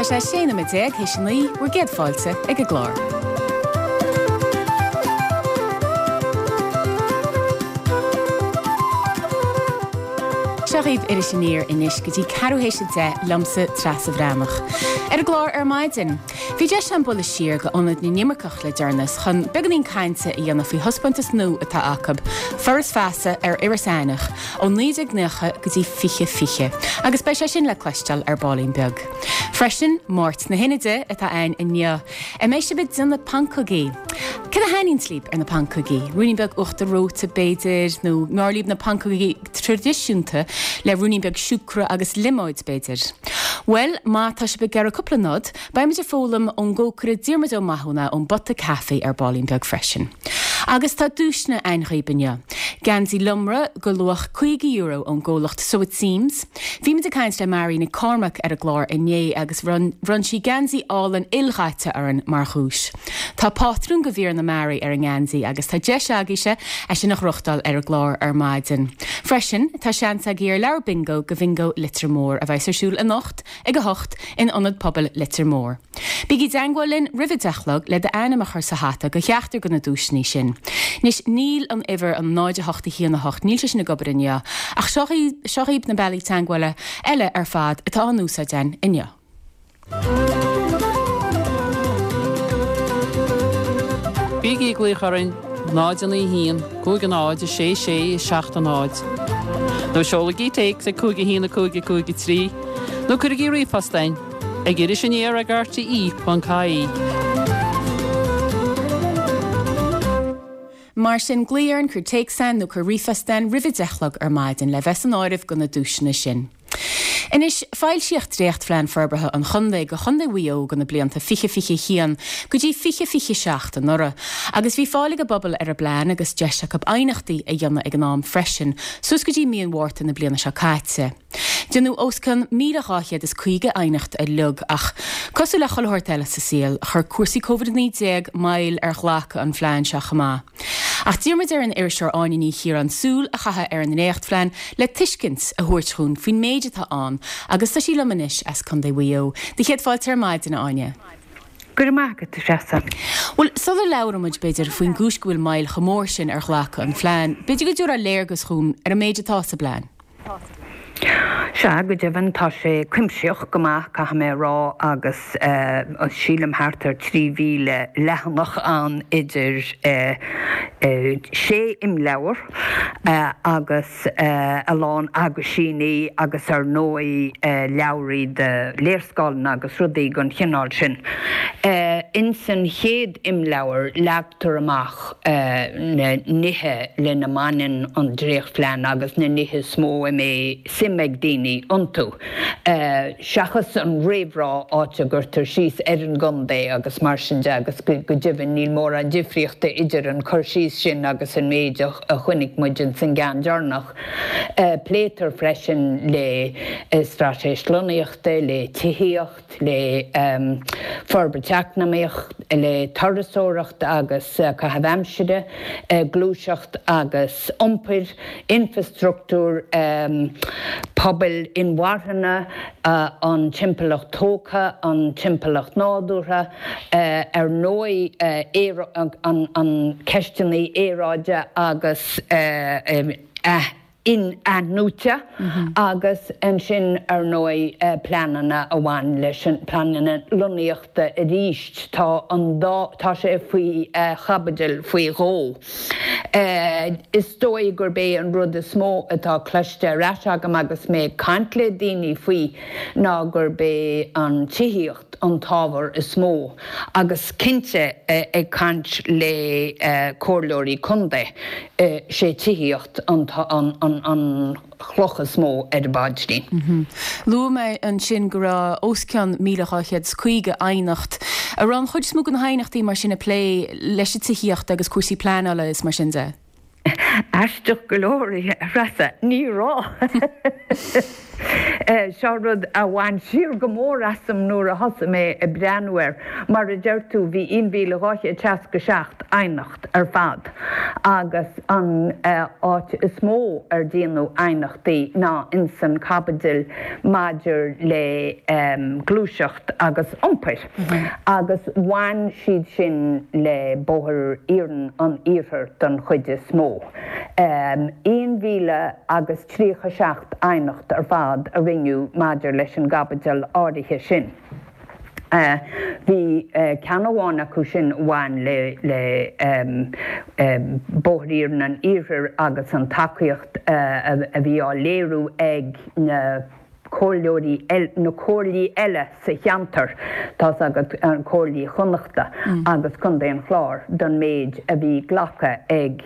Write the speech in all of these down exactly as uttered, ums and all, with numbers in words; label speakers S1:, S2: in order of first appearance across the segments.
S1: sé sé nóiméad déag théis a naoi, bhur gcéad fáilte ag an gclár. Seo dhaoibh Iris Aniar anois go dtí ceathrú théis a deich liomsa Treasa Bhreathnach. Ar an gclár ar maidin, bhí deis agam bualadh siar go Ionad na nImirceach le deireanas chun beagáinín cainte a dhéanamh faoi thaispeántas nua atá acu, Foras Feasa ar Iorras Aithneach, ó naoi déag nócha go dtí fiche fiche, agus beidh sé sin le cloisteáil ar baillín beag. Freisin, Máirt na hInide atá ann inniu. An mbeidh sibh ag déanamh pancógaí? Cad a thaitníonns libh ar na pancógaí? Ruainnín beag uachtar reoite, b'fhéidir, nó an fearr libh na pancógaí traidisiúnta le ruainnín beag siúcra agus liomóid, b'fhéidir? Bhuel, má tá sibh ag iarraidh cúpla nod, beidh muid ag foghlaim ón gcócaire Diarmuid Ó Mathúna ón bPota Café ar baillín beag freisin. Agus tá duaiseanna ann dhaoibh inniu. Geansaí Lomra go luach caoga euro ón gcomhlacht So It Seems. Bhí muid ag caint le Mary Nic Cormaic ar an gclár inné agus bhronn sí geansaí álainn ildaite orainn mar dhuais. Tá pátrún go mhíreanna Mary ar an ngeansaí agus tá deis agaibhse é sin a ghnóthachtáil ar an gclár ar maidin. Freisin, tá seans agaibh ar leabhar bingo go Bhingo Leitir Móir a bheas ar siúl anocht ag a hocht in Ionad Pobail Leitir Móir. Bígí i dteangmháil linn roimh a deich a chlog le d'ainm a chur sa hata go cheachtar de na duaiseanna sin. Anois, níl an uimhir an náid a hocht a haon a hocht, níl sé sin ag obair inniu, ach seo seo dhaoibh na bealaí teangmhála eile ar fad atá á n-úsáid againn inniu.
S2: Bígí ag glaoch orainn, náid a naoi a haon, cúig a náid, a sé sé, seacht a náid. Nó seolaigí téacs ag cúig a haon a cúig a cúig a trí, nó cuirigí ríomhphost chugainn ag iris aniar ag R T E ponc I E.
S1: Mar sin, glaoigh orainn, cuir téacs chugainn nó cuir ríomhphost chugainn roimh a deich a chlog ar maidin le bheith san áireamh go na duaiseanna sin. Anois, foilsíodh dréachtphlean forbartha an chontae go Chontae Mhaigh Eo go na blianta fiche fiche a haon go dtí fiche fiche seacht anuraidh, agus bhí fáil ag an bpobal ar an bplean agus deis acu aighneachtaí a dhéanamh ag an am freisin, suas go dtí mí an Mhárta na bliana seo caite. Déanadh os cionn míle dhá chéad is caoga aighneacht uilig ach, cosúil le chuile shórt eile sa saol, chuir cúrsaí Covid a naoi déag moill ar ghlacadh an phlean seo chomh maith. Ach d'iarr muid ar an iriseoir Áine Ní Chiaráin súil a chaitheamh ar an ndréachtphlean le tuiscint a thabhairt dhúinn faoin méid atá ann agus tá sí liom anois as Contae Mhaigh Eo. Do chéad fáilte ar maidin, a Áine.
S3: Go raibh maith agat, a Threasa.
S1: Bhuel, sula labhrann muid, b'fhéidir, faoin gcúis go bhfuil moill chomh mór sin ar ghlacadh an phlean, b'fhéidir go dtabharfá léargas dhúinn ar an méid atá sa bplean.
S3: Sea, go deimhin, tá sé cuimsitheach go maith, caithfidh mé a rá, agus sílim thart ar trí mhíle leathanach ann idir sé imleabhar agus a lán aguisíní agus ar ndóigh leabhraí de léarscáileanna agus rudaí den chineál sin. Ins an chéad imleabhar leagtar amach na nithe lena mbaineann an dréachtphlean agus na nithe is mó a mbeidh suim ag daoine iontu, seachas an réamhrá áit a gcuirtear síos ar an gcontae agus mar sin de agus go deimhin níl mórán difríochta idir an cur síos sin agus an méid a chonaic muid ins an gceann deireanach. Pléitear freisin le straitéis lonnaíochta, le tithíocht, le forbairt eacnamaíoch, le turasóireacht agus caitheamh aimsire, gluaiseacht agus iompair, infreastruchtúr pobail inmharthana, an timpeallacht tógtha, an timpeallacht nádúrtha, ar ndóigh an ceisteanna aeráide agus in-athnuaite agus ansin ar ndóigh pleananna a bhain leis an pleananna lonnaíochta arís. Tá an dá tá sé faoi chaibidil faoi dhó. Is dóigh gurb é an rud is mó atá cloiste ar ais agam agus mé ag caint le daoine faoi ná gurb é an tithíocht an t-ábhar is mó agus cinnte ag caint le comhairleoirí contae, sé tithíocht an an chloch is mó ar an bpaidrín.
S1: Luaigh mé ansin go raibh os cionn míle dhá chéad is caoga aighneacht. An raibh an chuid is mó de na haighneachtaí mar sin ag plé leis an tithíocht agus cúrsaí pleanála is mar sin de?
S3: Aisteach go leor, a Threasa, ní raibh. Seo rud a bhain siar go mór asam nuair a thosaigh mé ag breathnú air. Mar a deir tú, bhí aon mhíle dhá chéad seasca seacht aighneacht ar fad agus an áit is mó ar déanadh aighneachtaí ná insan caibidil maidir le gluaiseacht agus iompar agus bhain siad sin le Bóthar Iarainn an Iarthair don chuid is mó. Aon mhíle agus tríocha seacht aighneacht ar fad a rinneadh maidir leis an gcaibidil áirithe sin. Bhí ceann amháin acu sin a bhain le le Bóthar Iarainn an Iarthair agus an tacaíocht a bhí á léiriú ag na comhairleoirí, na comhairlí eile sa cheantar, tá's agat, comhairlí Chonnachta agus Contae an Chláir, don méid a bhí glactha ag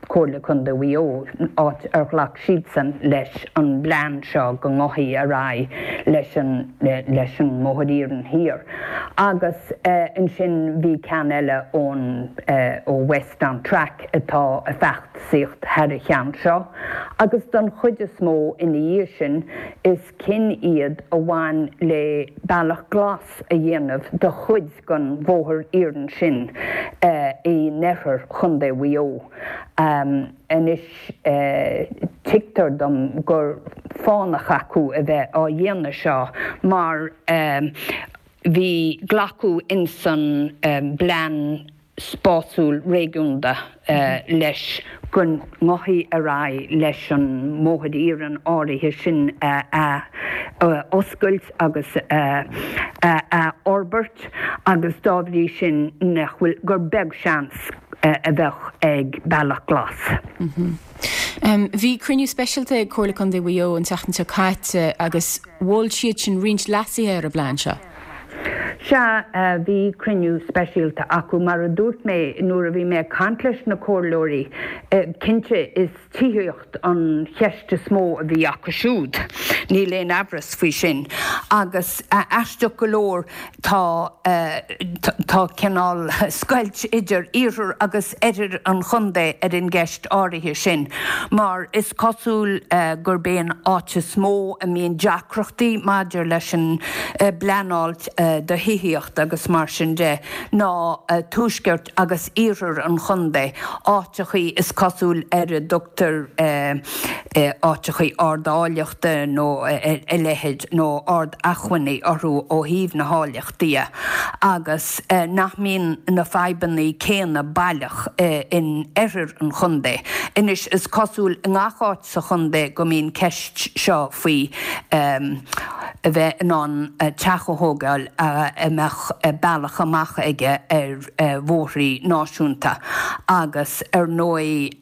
S3: Comhairle Contae Mhaigh Eo, áit ar ghlac siadsan leis an bplean seo go ngabhfaí ar aghaidh leis an leis an mBóthar Iarainn Thiar. Agus ansin bhí ceann eile ón ó West on Track atá ag feachtasaíocht thar an cheann seo, agus don chuid is mó ina dhiaidh sin is cinn iad a bhain le bealach glas a dhéanamh de chuid den bhóthar iarainn sin in oirthear Chontae Mhaigh Eo. Anois tuigtear dom gur fánach acu a bheith á dhéanamh seo mar bhí glacadh insan bplean spásúil réigiúnda leis go ngabhfaí ar aghaidh leis an mbóthar iarainn áirithe sin a oscailt agus a fhorbairt agus dá bhrí sin nach bhfuil, gur beag seans a bheadh ag Bealach Glas.
S1: Bhí cruinniú speisialta ag Comhairle Contae Mhaigh Eo an tseachtain seo caite agus mhol siad sin roinnt leasuithe ar an bplean seo.
S3: Sea, bhí cruinniú speisialta acu. Mar a dúirt mé nuair a bhí mé ag caint leis na comhairleoirí, cinnte is tithíocht an cheist is mó a bhí acu siúd, níl aon amhras faoi sin. Agus aisteach go leor tá tá cineál scoilt idir iarthar agus oirthear an chontae ar an gceist áirithe sin, mar is cosúil gurb é an áit is mó a mbíonn deacrachtaí maidir leis an bpleanáil do thithíocht agus mar sin de ná tuaisceart agus iarthar an chontae, áiteachaí is cosúil ar a dtugtar áiteachaí ard-áilleachta nó a leithéid nó ard-acmhainní orthu ó thaobh na háilleachta de agus nach mbíonn na fadhbanna céanna baileach in oirthear an chontae. Anois is cosúil i ngach áit sa chontae go mbíonn ceist seo faoi a bheith in ann teach a thógáil a mbeadh bealach amach aige ar bhóithrí náisiúnta agus ar ndóigh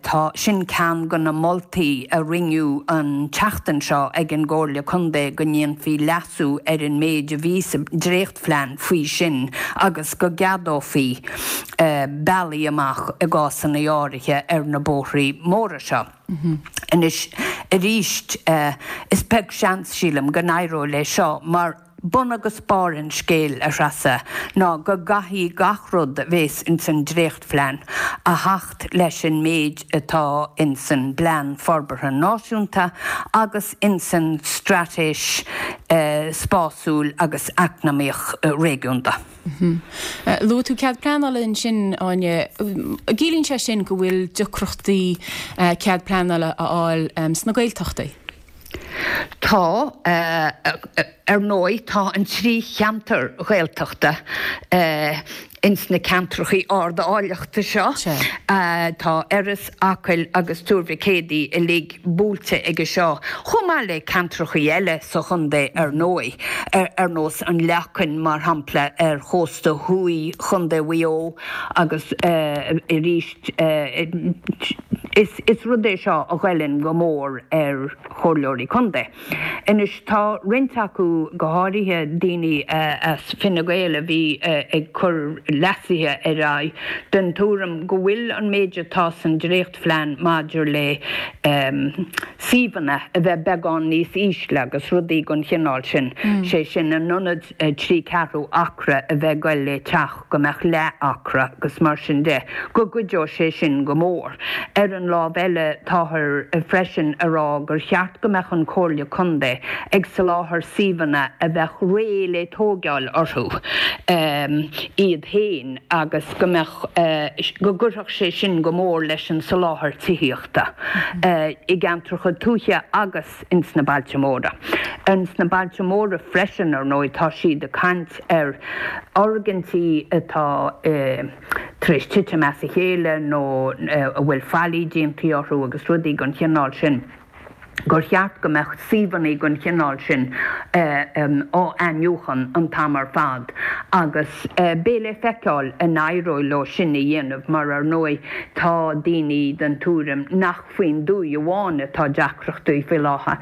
S3: tá sin ceann de na moltaí a rinneadh an tseachtain seo ag an gComhairle Contae go ndéanfaí leasú ar an méid a bhí sa dréachtphlean faoi sin agus go gceadófaí bealaí amach i gcásanna áirithe ar na bóithrí móra seo. Anois, arís, is beag seans, sílim, go n-éireoidh leis seo mar bun agus barr an scéil, a Threasa, ná go gcaithfidh gach rud a bhéas ins an dréachtphlean a theacht leis an méid atá ins an bPlean Forbartha Náisiúnta agus ins an Straitéis Spásúil agus Eacnamaíoch Réigiúnda.
S1: Luaigh tú cead pleanála ansin, Áine. Ciallaíonn sé sin go bhfuil deacrachtaí cead pleanála a fháil sna Gaeltachtaí?
S3: Tá. Ar ndóigh, tá an trí cheantar Ghaeltachta ins na ceantrachaí ard-áilleachta seo. Tá Iorras, Acaill agus Tuar Mhic Éadaigh uilig buailte aige seo, chomh maith le ceantrachaí eile sa chontae ar ndóigh, ar nós an Leacain, mar shampla, ar chósta thuaidh Chontae Mhaigh Eo agus arís is rud é seo a ghoilleann go mór ar chomhairleoirí contae. Anois tá roinnt acu, go háirithe daoine as Fine Gael a bhí ag cur leasuithe ar aghaidh, den tuairim go bhfuil an méid atá san dréachtphlean maidir le suíomhanna a bheith beagán níos ísle agus rudaí den chineál sin, sé sin in ionad trí ceathrú acra a bheith ag goil le teach go mbeadh leath acra agus mar sin de, go gcuideodh sé sin go mór. Ar an an lámh eile táthar freisin a rá gur cheart go mbeadh an Chomhairle Contae ag soláthar suíomhanna a bheadh réidh le tógáil orthu iad féin agus go mbeadh go gcuirfeadh sé sin go mór leis an soláthar tithíochta i gceantracha tuaithe agus ins na bailte móra. Ins na bailte móra freisin ar ndóigh tá siad ag caint ar fhoirgintí atá tar éis titim as a chéile nó a bhfuil faillí déanta orthu agus rudaí den chineál sin. gur cheart go mbeadh suíomhanna den chineál sin á n-iniúchadh an t-am ar fad agus beidh le feiceáil an éireoidh leo sin a dhéanamh mar ar ndóigh tá daoine den tuairim nach faoin dtuaith amháin atá deacrachtaí faoi láthair,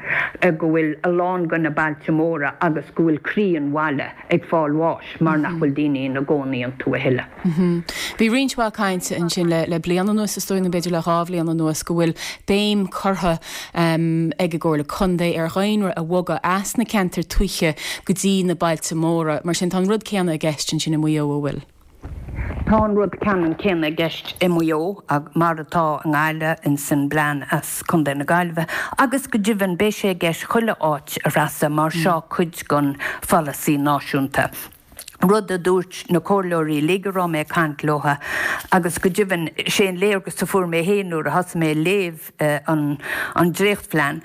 S3: go bhfuil a lán de na bailte móra agus go bhfuil croí an bhaile ag fáil bháis mar nach bhfuil daoine ina gcónaí iontu a thuilleadh.
S1: Bhí roinnt mhaith cainte ansin le bliain anuas, is dóigh, nó b'fhéidir le dhá bhliain anuas, go bhfuil béim curtha ag an gComhairle Contae ar dhaonra a bhogadh as na ceantair tuaithe go dtí na bailte móra. Mar sin, tá an rud céanna i gceist ansin i Maigh Eo, an bhfuil?
S3: Tá an rud ceannann céanna i gceist i Maigh Eo, mar atá i nGaillimh, ins an bplean as Contae na Gaillimhe, agus go deimhin beidh sé i gceist chuile áit, a Threasa, mar seo cuid den pholasaí náisiúnta. Rud a dúirt na comhairleoirí uilig a raibh mé ag caint leo agus go deimhin sé an léargas a fuair mé féin nuair a thosaigh mé ag léamh an an dréachtphlean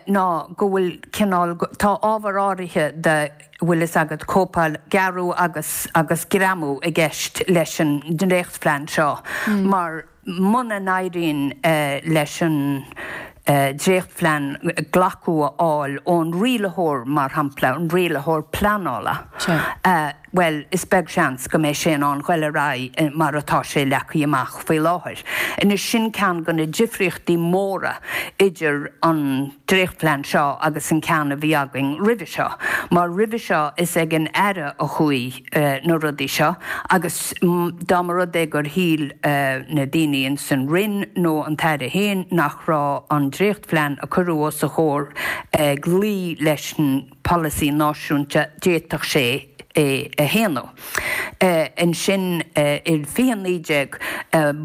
S3: ná go bhfuil cineál, tá ábhar áirithe de, bhfuil fhios agat, cóipeáil, gearradh agus agus greamú i gceist leis an dréachtphlean seo mar muna n-éiríonn leis an dréachtphlean glacadh a fháil ón rialaitheoir, mar shampla, an rialaitheoir pleanála, bhuel, is beag seans go mbeidh sé in ann goil ar aghaidh mar atá sé leagtha amach faoi láthair. Anois, sin ceann de na difríochtaí móra idir an dréachtphlean seo agus an ceann a bhí againn roimhe seo, mar roimhe seo is ag an Aire a chuaigh na rudaí seo agus dá mba rud é gur shíl na daoine ins an Roinn nó an tAire féin nach raibh an dréachtphlean a cuireadh os a chomhair ag luí leis an bpolasaí náisiúnta d'fhéadfadh sé é a shéanadh. Ansin i fiche naoi déag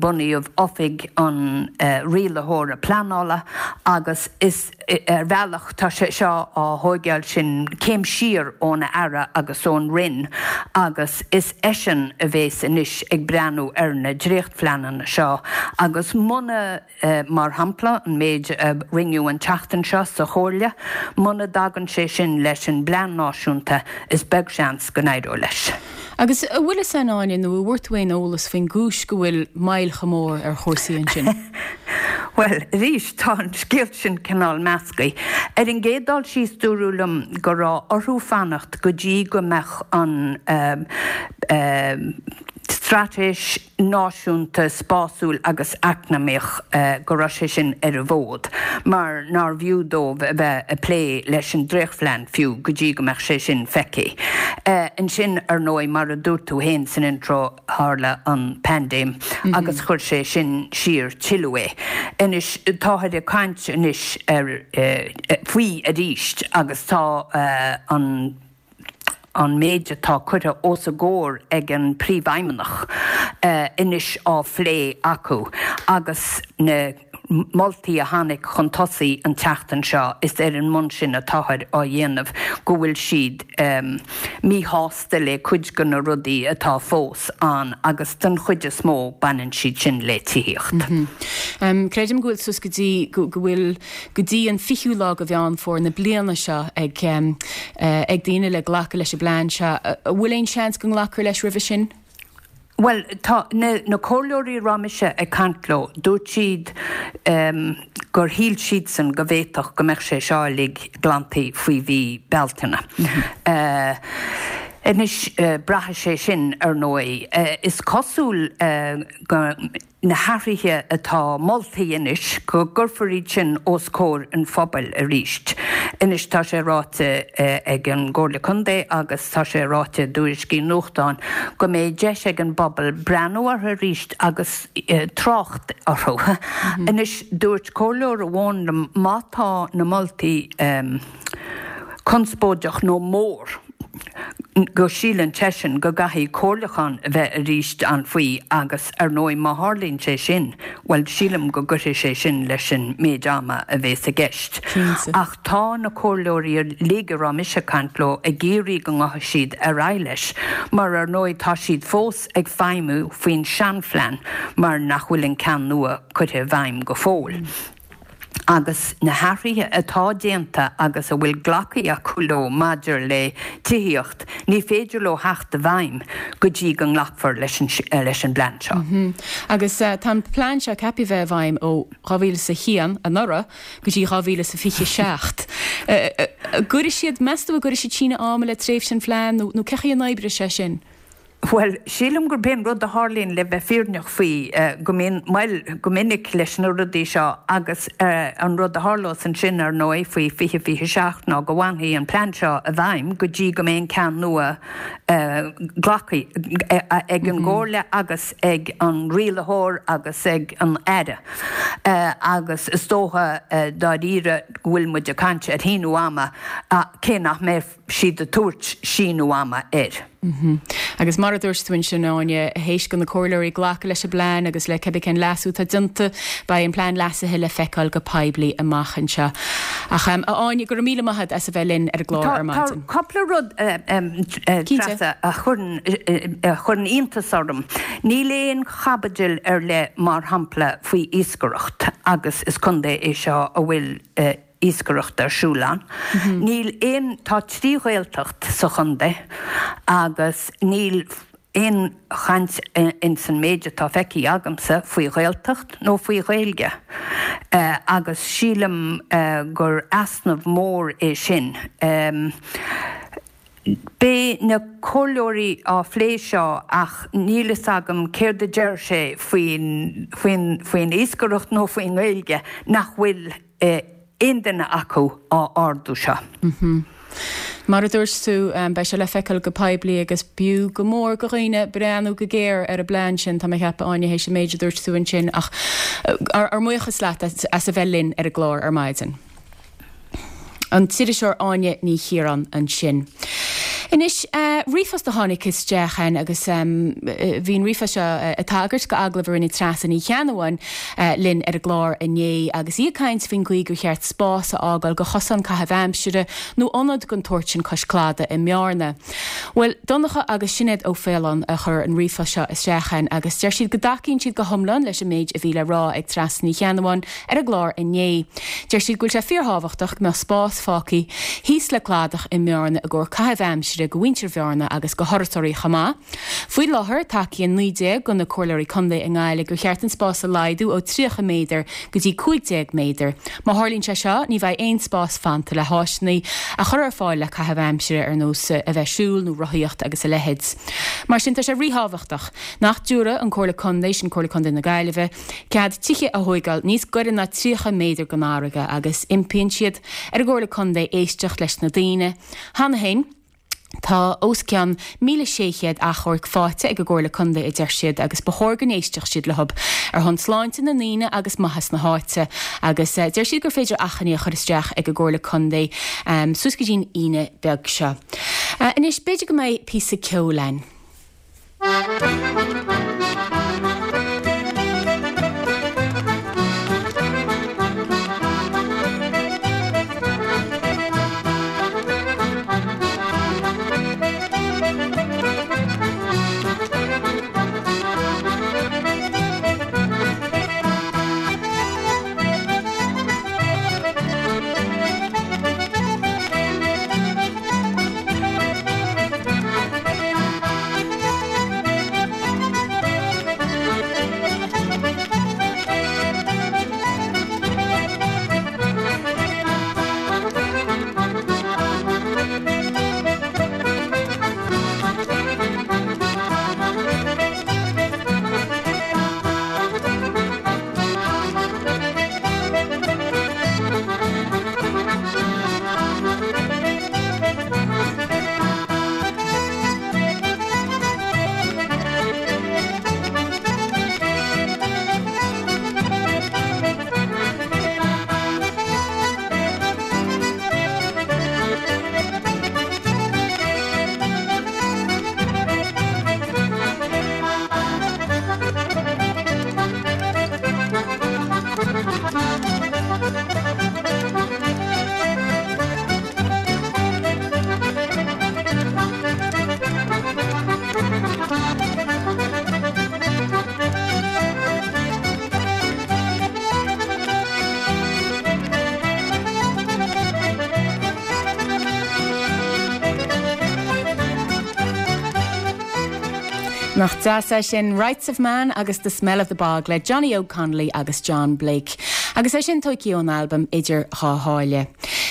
S3: bunaíodh Oifig an Rialaitheora Pleanála agus is ar bhealach tá sé seo á thóigeáil sin céim siar ón Aire agus ón Roinn agus is eisean a bhéas anois ag breathnú ar na dréachtphleananna seo agus muna Mar shampla, an méid a rinneadh an tseachtain seo sa Chomhairle, muna dtagann sé sin leis an bplean náisiúnta, is beag seans go n-éireoidh leis.
S1: Agus an bhfuil fhios a'd, Áine, nó an bhfuair tú aon eolas faoin gcúis go bhfuil moill chomh mór ar chúrsaí ansin?
S3: Bhuel, arís, tá an scéal sin cineál measctha. Ar an gcéad dul síos, dúradh liom go raibh orthu fanacht go dtí go mbeadh an Straitéis Náisiúnta Spásúil agus Eacnamaíoch, go raibh sé sin ar an bhfód, mar nárbh fhiú dóibh a bheith ag plé leis an dréachtphlean fiú go dtí go mbeadh sé sin feicthe. Ansin, ar ndóigh, mar a dúirt tú féin san intro, tharla an paindéim agus chuir sé sin siar tuilleadh é. Anois, táthar ag caint anois ar, faoi arís agus tá an. an méid atá curtha os a gcomhair ag an bPríomhfheidhmeannach anois á phlé acu agus na moltaí a tháinig chun tosaigh an tseachtain seo, is ar an mbonn sin atáthar á dhéanamh go bhfuil siad míshásta le cuid de na rudaí atá fós ann agus den chuid is mó baineann siad sin le tithíocht.
S1: Creidim go bhfuil suas go dtí go bhfuil go dtí an fichiú lá de Mheán Fómhair na bliana seo ag ag daoine le glacadh leis an bplean seo. An bhfuil aon seans go nglacfar leis roimhe sin?
S3: Bhuel, tá na na comhairleoirí a raibh mise ag caint leo, dúirt siad gur shíl siadsan go bhféadfadh go mbeadh sé seo uilig glanta faoi mhí Bealtaine. Anois, braithfidh sé sin, ar ndóigh. Is cosúil go. na hathruithe atá moltaí anois, go gcuirfear iad sin os comhair an phobail arís. Anois tá sé ráite ag an gComhairle Contae agus tá sé ráite i dtuairiscí nuachtáin go mbeidh deis ag an bpobal breathnú orthu arís agus trácht orthu. Anois dúirt comhairleoir amháin liom má tá na moltaí conspóideach nó mór, go síleann seisean go gcaithfidh comhairliúchán a bheith arís ann faoi agus ar ndóigh má tharlaíonn sé sin, bhuel sílim go gcuirfidh sé sin leis an méid ama a bhéas i gceist. Ach tá na comhairleoirí uilig a raibh mise ag caint leo ag iarraidh go ngabhfaidh siad ar aghaidh leis mar ar ndóigh tá siad fós ag feidhmiú faoin seanphlean mar nach bhfuil an ceann nua curtha i bhfeidhm go fóill. Agus na hathruithe atá déanta agus a bhfuil glactha acu leo maidir le tithíocht, ní féidir leo theacht i bhfeidhm go dtí go nglacfar leis an leis an bplean seo.
S1: Agus tá an plean seo ceaptha bheith i bhfeidhm ó dhá mhíle is a haon, anuraidh, go dtí dhá mhíle is a fiche seacht. Gcuirfidh siad, meas tú an gcuirfidh siad síneadh ama le tréimhse an phlean nó nó cén chaoi a n-oibreoidh sé sin?
S3: Bhuel, sílim gurb é an rud a tharlaíonn, le bheith fírinneach faoi, go mbíonn moill go minic leis na rudaí seo agus an rud a tharlós ansin, ar ndóigh, faoi fiche fiche seacht ná go bhfanfaidh an plean seo i bhfeidhm go dtí go mbeidh an ceann nua glactha ag an gComhairle agus ag an rialaitheoir agus ag an Aire. Agus is dócha dáiríre go bhfuil muid ag caint ar shíniú ama, cé nach mbeidh siad ag tabhairt síniú ama air.
S1: Agus mar a dúirt tú ansin, Áine, théis do na comhairleoirí glacadh leis an bplean agus le cibé cén leasú atá déanta, beidh an plean leasaithe le feiceáil go poiblí amach anseo. Ach, a Áine, go raibh míle maith agat as a bheith linn ar an gclár ar maidin.
S3: Tá cúpla rud, Treasa, a chuireann iontas orm. Níl aon chaibidil ar leith, mar shampla, faoi iascaireacht agus is contae é seo a bhfuil iascaireacht ar siúl ann. Níl aon, tá trí Ghaeltacht sa chontae agus níl aon chaint ins an méid atá feicthe agamsa faoi Ghaeltacht nó faoi Ghaeilge agus sílim gur easnamh mór é sin. Beidh na comhairleoirí á phlé seo ach níl fhios agam céard a deir sé faoin, faoin, faoin iascaireacht nó faoin nGaeilge nach bhfuil aon duine acu á ardú seo.
S1: Mar a dúirt tú, beidh sé le feiceáil go poiblí agus b'fhiú go mór do dhaoine breathnú go géar ar an bplean sin, tá mé ag ceapadh, Áine, théis an méid a dúirt tú ansin, ach ár mbuíochas leat as a bheith linn ar an gclár ar maidin. An t-iriseoir Áine Ní Chiaráin ansin. Anois, ríomhphost a tháinig isteach chugainn agus bhí an ríomhphost seo ag tagairt go agallamh a rinne Treasa Ní Cheannabháin linn ar an gclár inné agus í ag caint faoin gcaoi gur cheart spás a fhágáil go chosán caitheamh aimsire nó ionad den tsórt sin cois cladaigh i mBearna. Bhuel, Donncha agus Sinéad Ó Faoláin a chuir an ríomhphost seo isteach chugainn agus deir siad go dtacaíonn siad go hiomlán leis an méid a bhí le rá ag Treasa Ní Cheannabháin ar an gclár inné. Deir siad go bhfuil sé fíorthábhachtach go mbeadh spás fágtha thíos le cladach i mBearna i gcomhair caitheamh aimsire go mhuintir Bhearna agus go thurasóirí chomh maith. Faoi láthair, tacaíonn naoi déag de na comhairleoirí contae i nGaillimh gur cheart an spás a laghdú ó tríocha méadar go dtí cúig déag méadar. Má tharlaíonn sé seo, ní bheidh aon spás fanta le háiseanna a chur ar fáil le caitheamh aimsire ar nós a bheith siúl nó rothaíocht agus a leithéid. Mar sin, tá sé ríthábhachtach nach dtabharfadh an Comhairle Contae, sin Comhairle Contae na Gaillimhe, cead tithe a thóigeáil níos gaire ná tríocha méadar don fharraige agus impíonn siad ar an gComhairle Contae éisteacht leis na daoine. Cheana féin, tá os cionn míle sé chéad achomharc faighte ag an gComhairle Contae, a deir siad, agus ba chóir go n-éistfeadh siad leo ar shon sláinte na ndaoine agus maitheas na háite. Agus deir siad gur féidir achainí a chur isteach ag an gComhairle Contae suas go dtí'n Aoine beag seo. Anois, b'fhéidir go mbeidh píosa ceoil ann. Nach deas é sin Rights of Man agus The Smell of the Bog le Johnny Óg Connolly agus John Blake. Agus é sin tógtha ón albam Idir Dhá Sháile.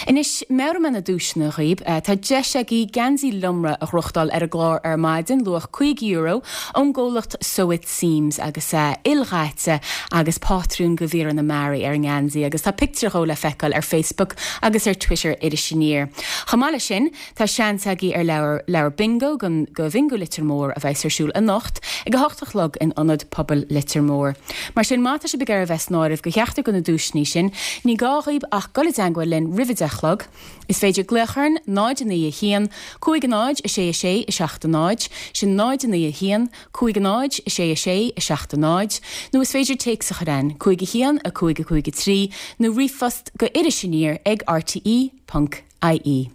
S1: Anois meabhróidh mé na duaiseanna dhaoibh tá deis agaibh geansaí Lomra a ghnóthachtáil ar an gclár ar maidin luach cúig euro ón gcomhlacht So It Seems agus é ildaite agus pátrún de mhíreanna mearaí ar an ngeansaí agus tá pictiúr dhó le feiceáil ar Facebook agus ar Twitter Iris Aniar. Chomh maith leis sin tá seans agaibh ar leabhar leabhar bingo go go Bingo Leitir Móir a bheas ar siúl anocht ag a hocht a chlog in ionad pobail Leitir Móir. Mar sin má tá sibh ag iarraidh a bheith san áireamh do cheachtar de na duaiseanna sin, ní gá dhaoibh ach dul i dteagmháil linn roimh a deich a chlog. Is féidir glaoch orainn náid a naoi a haon, cúig a náid a sé a sé a seacht a náid, sin náid a naoi a haon, cúig a náid a sé a sé a seacht a náid, nó is féidir téacs a chur chugainn, cúig a haon a cúig a cúig a trí, nó ríomhphost go Iris Aniar ag rte ponc ie.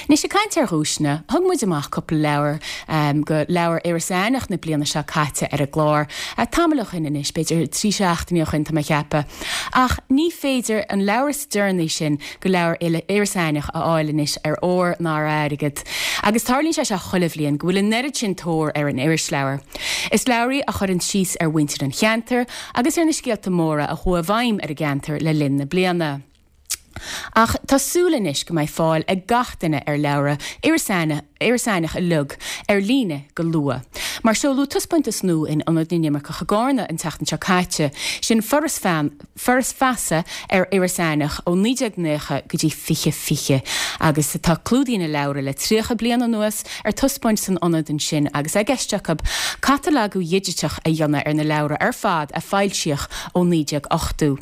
S1: Anois ag caint ar dhuaiseanna, thug muid amach cúpla leabhar um, go leabhar Iorras Aithneach na bliana seo caite ar an gclár. Uh, tamall ó shin anois, b'fhéidir trí seachtaine ó shin tá mé ag ceapadh. Ach ní féidir an leabhar is deireanaí sin go leabhar Iorras Aithneach a fháil anois ar ór ná ar airgead. Agus tarlaíonn sé seo chuile bhliain go bhfuil an oiread sin tóir ar an irisleabhar. Is leabhar í a chuireann síos ar mhuintir an cheantair agus ar na scéalta móra a chuaigh i bhfeidhm ar an gceantar le linn na bliana. Ach tá súil anois go mbeidh fáil ag gach duine ar leabhra Iorras Aithneach uilig ar líne go luath. Mar seoladh taispeántas nua in Ionad na nImirceach i gCarna an tseachtain seo caite, sin Foras Fan, Foras Feasa ar Iorras Aithneach ó naoi déag nócha go dtí fiche fiche, agus tá clúdaigh na leabhra le tríocha bliain anuas ar taispeáint san ionad ansin agus é i gceist acu catalagú digiteach a dhéanamh ar na leabhra ar fad a foilsíodh ó naoi déag ochtó.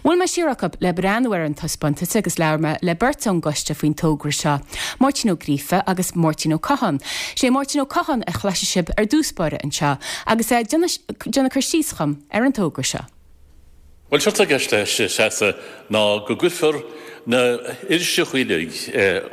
S1: Bhuail mé siar acu le breathnú ar an taispeántas agus labhair mé le beirt ón gcoiste faoin togra seo, Máirtín Ó Gríofa agus Máirtín Ó Catháin. Sé Máirtín Ó Catháin a chloisfidh sibh ar dtús báire anseo agus é ag déanamh cur síos dhom ar an togra seo.
S4: Bhuel, séard atá i gceist leis Treasa ná go gcuirfear na hiriseacha uilig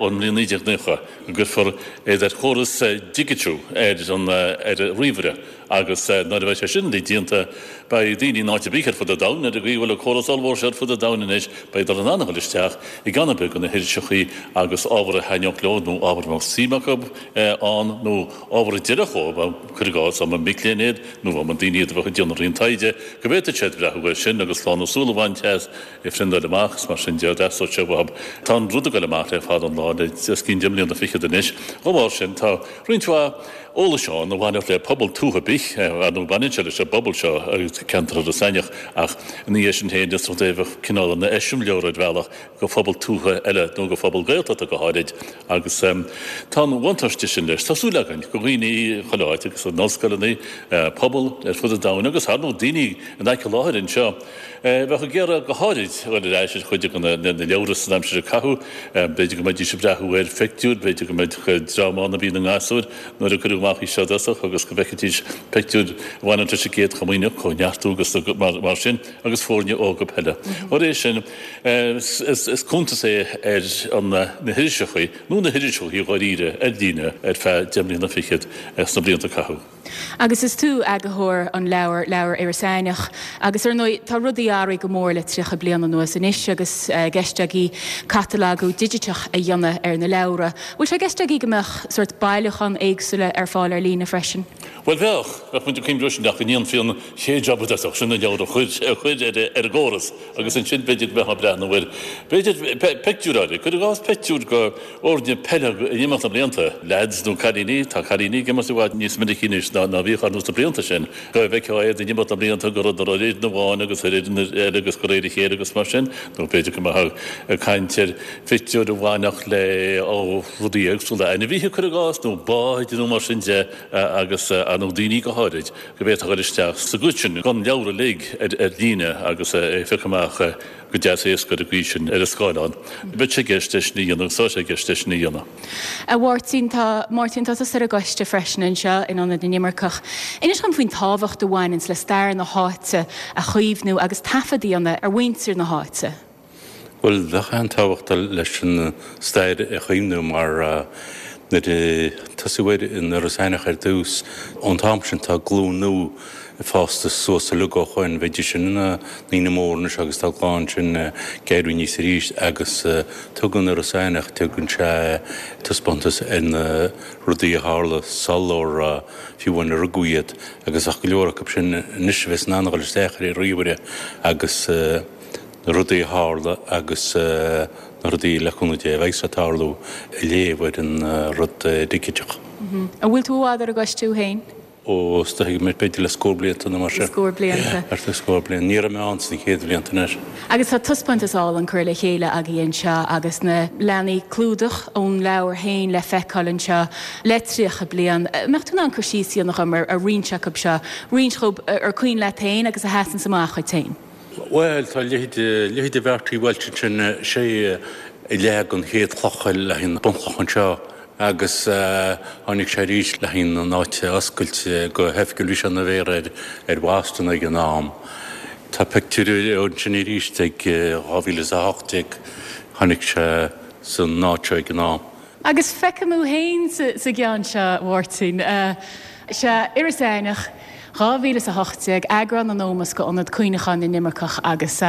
S4: ón mbliain naoi déag nócha, go gcuirfear iad ar chóras digitiú ar an ar an ríomhaire agus nuair a bheidh sé sin uilig déanta beidh daoine in áit ar bith ar fud an domhain, ar an gcaoi a bhfuil an córas ollmhór seo ar fud an domhain anois, beidh in ann a dhul isteach i gceann ar bith de na hiriseacha agus ábhar a thaitneodh leo nó ábhar a mbeadh suim acu ann nó ábhar a d'oirfeadh dóibh, cuir i gcás, dá mba mic léinn iad nó dá mba daoine iad a bheadh ag déanamh roinnt taighde, go bhféadfadh siad breathnú air sin agus lán na súl a bhaint as, é a phriondáil amach is mar sin de, d'fheasódh sé uathu. Tá an rud ag dul amach le fada an lá, le os cionn deich mbliana fichead anois. Dá bharr sin, tá roinnt mhaith eolais ann a bhainfeadh le pobal tuaithe bith, ar ndóigh baineann sé leis an bpobal seo agus ceantar Iorras Aithneach, ach ina dhiaidh sin féin is rud é a bheadh cineál ina eiseamláir ar bhealach do phobal tuaithe eile nó do phobal Gaeltachta go háirid agus tá an bhuntáiste sin leis. Tá súil againn go dhaoine chuile áit agus in ollscoileanna, pobal ar fud an domhain agus ar ndóigh daoine in aice láthair anseo a bheadh ag iarraidh go háirid dul ar ais ar chuid de na leabhra san aimsir a caitheadh. B'fhéidir go mbeidís ag breathnú ar phictiúir, b'fhéidir go mbeadh dream ann a bhí ina ngasúir nuair a cuireadh amach í seo i dtosach agus go bhfeicfidís pictiúir a bhaineann leis an gCéad Chomaoineach, Cóineartú agus mar sin, agus foirne óga peile. Dá réir sin, is cuntas é ar na hiriseacha, nó na hiriseacha dháiríre, ar líne ar feadh deich mbliana fichead sna blianta a caitheadh.
S1: Agus is tú eagarthóir an leabhair, Leabhar Iorras Aithneach, agus ar ndóigh tá rudaí athraithe go mór le tríocha bliain anuas anois agus i gceist agaibh catalagú digiteach a dhéanamh ar na leabhra. Bhfuil sé i gceist agaibh go mbeadh sórt bailiúchán éagsúla ar fáil ar líne freisin?
S4: Bhuel bheadh, bheadh muid ag cuimhneamh sin ach go ndéanfaí an chéad jab i dtosach, sin na leabhair a chur a chur ar ar an gcóras agus ansin b'fhéidir go mbeifeá ag breathnú ar, b'fhéidir pictiúir áirithe, cuir i gcás pictiúir de fhoirne peile in imeacht na mblianta, leaids nó cailíní, tá cailíní ag imirt i bhfad níos minicí anois ná ná bhíodh ar nós na blianta sin, go bhfeicfeá iad in imeacht na mblianta go raibh ar fhoireann amháin agus ar fhoireann eile agus de réir a chéile agus mar sin, nó b'fhéidir go mbeifeá ag caint ar phictiúir a bhainfeadh le ó rudaí éagsúla, ainmhithe cuir i gcás nó báid nó mar sin de. agus ar ndóigh daoine go háirid, go bhféadfá a dhul isteach sa gcuid sin den leabhar uilig ar líne agus é a phiocadh amach go deas éasca ar an gcaoi sin ar an scáileán. Bheadh sé i gceist é sin a dhéanamh agus tá sé i gceist é sin a dhéanamh.
S1: A Mháirtín, tá Máirtín, tá tusa ar an gcoiste freisin anseo in Ionad na nImirceach. Inis dom faoin tábhacht a bhaineanns le stair na háite a chaomhnú agus taifead a dhéanamh ar mhuintir na háite.
S5: Bhuel, bheadh an-tábhacht leis an stair a chaomhnú mar Nuair a tosaíodh air in Iorras Aithneach ar dtús, ón t-am sin tá glúin nua fásta suas uilig ó shoin, bheidís sin ina ndaoine móra anois agus tá glúin sin ag éirí aníos arís agus tugann Iorras Aithneach, tugann sé taispeántas ar na rudaí a tharla sular fiú amháin a rugadh iad agus ach go leor acu sin anois a bheas in ann a dhul isteach ar an ríomhaire agus na rudaí a tharla agus na rudaí le cúnamh Dé a bheidh ag tarlú a léamh ar an rud digiteach.
S1: An bhfuil tú i bhfad ar an gcoiste thú féin?
S5: Ó, is dóigh b'fhéidir le scór blianta nó mar sin.
S1: Scór blianta.
S5: Thart ar scór bliain. Ní raibh mé ann sna chéad bhlianta anois.
S1: Agus tá taispeántas álainn curtha le chéile agaibh anseo agus na leathanaigh clúdach ón leabhar féin le feiceáil anseo le tríocha bliain. An mbeadh tú in ann cur síos a dhéanamh dhom ar roinnt acu seo, roinnt dhóibh ar cuimhin leat féin agus a sheasanns amach dhuit féin?
S5: Bhuel, tá leithéid, leithéid de Bhertie Walsh ansin, sé a leag an chéad chloch le haghaidh an bunchloch anseo agus tháinig sé arís le haghaidh an áit a oscailt go hoifigiúil, bhí sé ina mhéara ar, ar Bhoston ag an am. Tá pictiúr ansin arís ag dhá mhíle is a hocht déag, tháinig sé san áit seo ag an am.
S1: Agus feicim thú féin sa gceann seo, a Mháirtín. Sea, Iorras Aithneach, dhá mhíle is a hocht déag, eagrán in ómós go Ionad Cuimhneacháin na nImirceach agus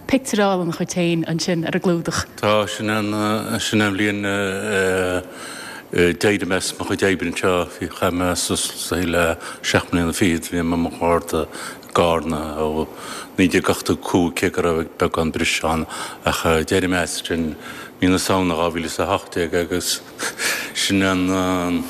S1: pictiúr álainn dhuit féin ansin ar an gclúdach.
S5: Tá, sin an, sin an bhliain a d'éirigh mé as mo chuid oibre anseo. Bhí, chaith mé suas le seacht mbliana fichead, bhí mé i mo gharda i gCarna ó naoi déag ochtó cúig, cé go raibh beagán briseadh ann, ach d'éirigh mé as sin mí na Samhna dhá mhíle is a hocht déag agus sin an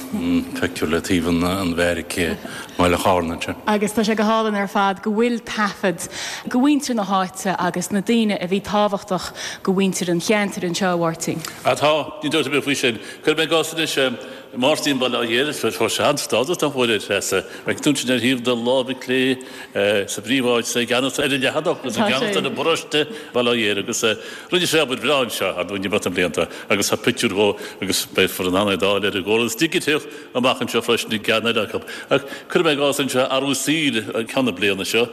S5: pictiúr le taobh an bheairic i mBaile Chárna ansin.
S1: Agus tá sé go hálainn ar fad go bhfuil taifead go mhuintir na háite agus na daoine a bhí tábhachtach go mhuintir an cheantair anseo, a Mháirtín.
S4: Á tá, níl dabht ar bith faoi sin. Cuirfidh mé i gcás anois Máirtín Baile Átha Ghiorria, fuair sé an-stádas nach bhfuair, a Threasa. Feiceann tú ansin ar thaobh na láimhe clé sa bpríomháit, i gceannas ar an leathanach agus i gceannas ar an bparóiste Baile Átha Ghiorria agus rinne sé obair bhreá anseo, ar ndóigh, in imeacht na mblianta agus tá pictiúr dhó agus beifear in ann é d'fháil ar an gcóras digiteach amach anseo freisin i gceann eile acu. Ach cuirfidh mé i gcás anseo athrú saoil ceann na bliana seo.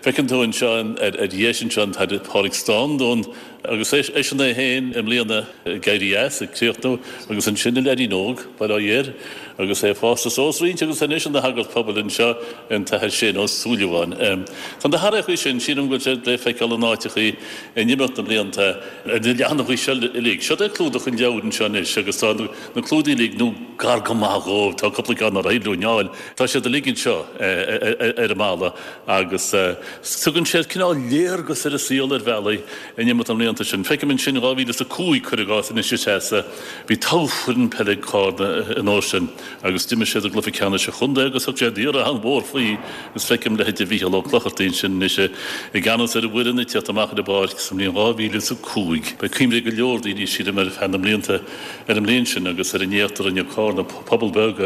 S4: Feiceann tú anseo ar dheis anseo an tAthair Pádraig Standún agus eisean é féin i mbliana ag éirí as, ag críochnú, agus ansin an leaidín óg, Baile Átha Ghiorria, agus é fásta suas roinnt agus anois ina shagart pobail anseo, an tAthair Shane Ó Súilleabháin. Tá na hathraíochaí sin, sílim go bhfuil siad le feiceáil in áiteachaí in imeacht na mblianta ar na leathanachaí seo uilig. Seo é clúdach an leabhair anseo anois agus tá na clúdaigh uilig, nó gar go maith dhóibh, tá cúpla ceann nár éirigh leo a fháil, tá siad uilig anseo ar an mballa agus tugann siad cineál léargas ar an saol ar bhealaí in imeacht na mblianta sin. Feicim ansin dhá mhíle is a cúig, cuir i gcás, anois a Threasa, bhí toghfhoireann peile ag Cárna an uair sin agus d'imir siad i gcluiche ceannais an chontae agus thug siad iarraidh an-mhór faoi agus feicim leithéid de Mhícheál Ó Clochartaigh ansin anois i gceannas ar an bhfoireann ag teacht amach ar an bpáirc sa mbliain dhá mhíle is a cúig. Beidh cuimhne ag go leor daoine, sílim, ar feadh na mblianta ar an mbliain sin agus ar an éacht a rinne Cárna, pobal beag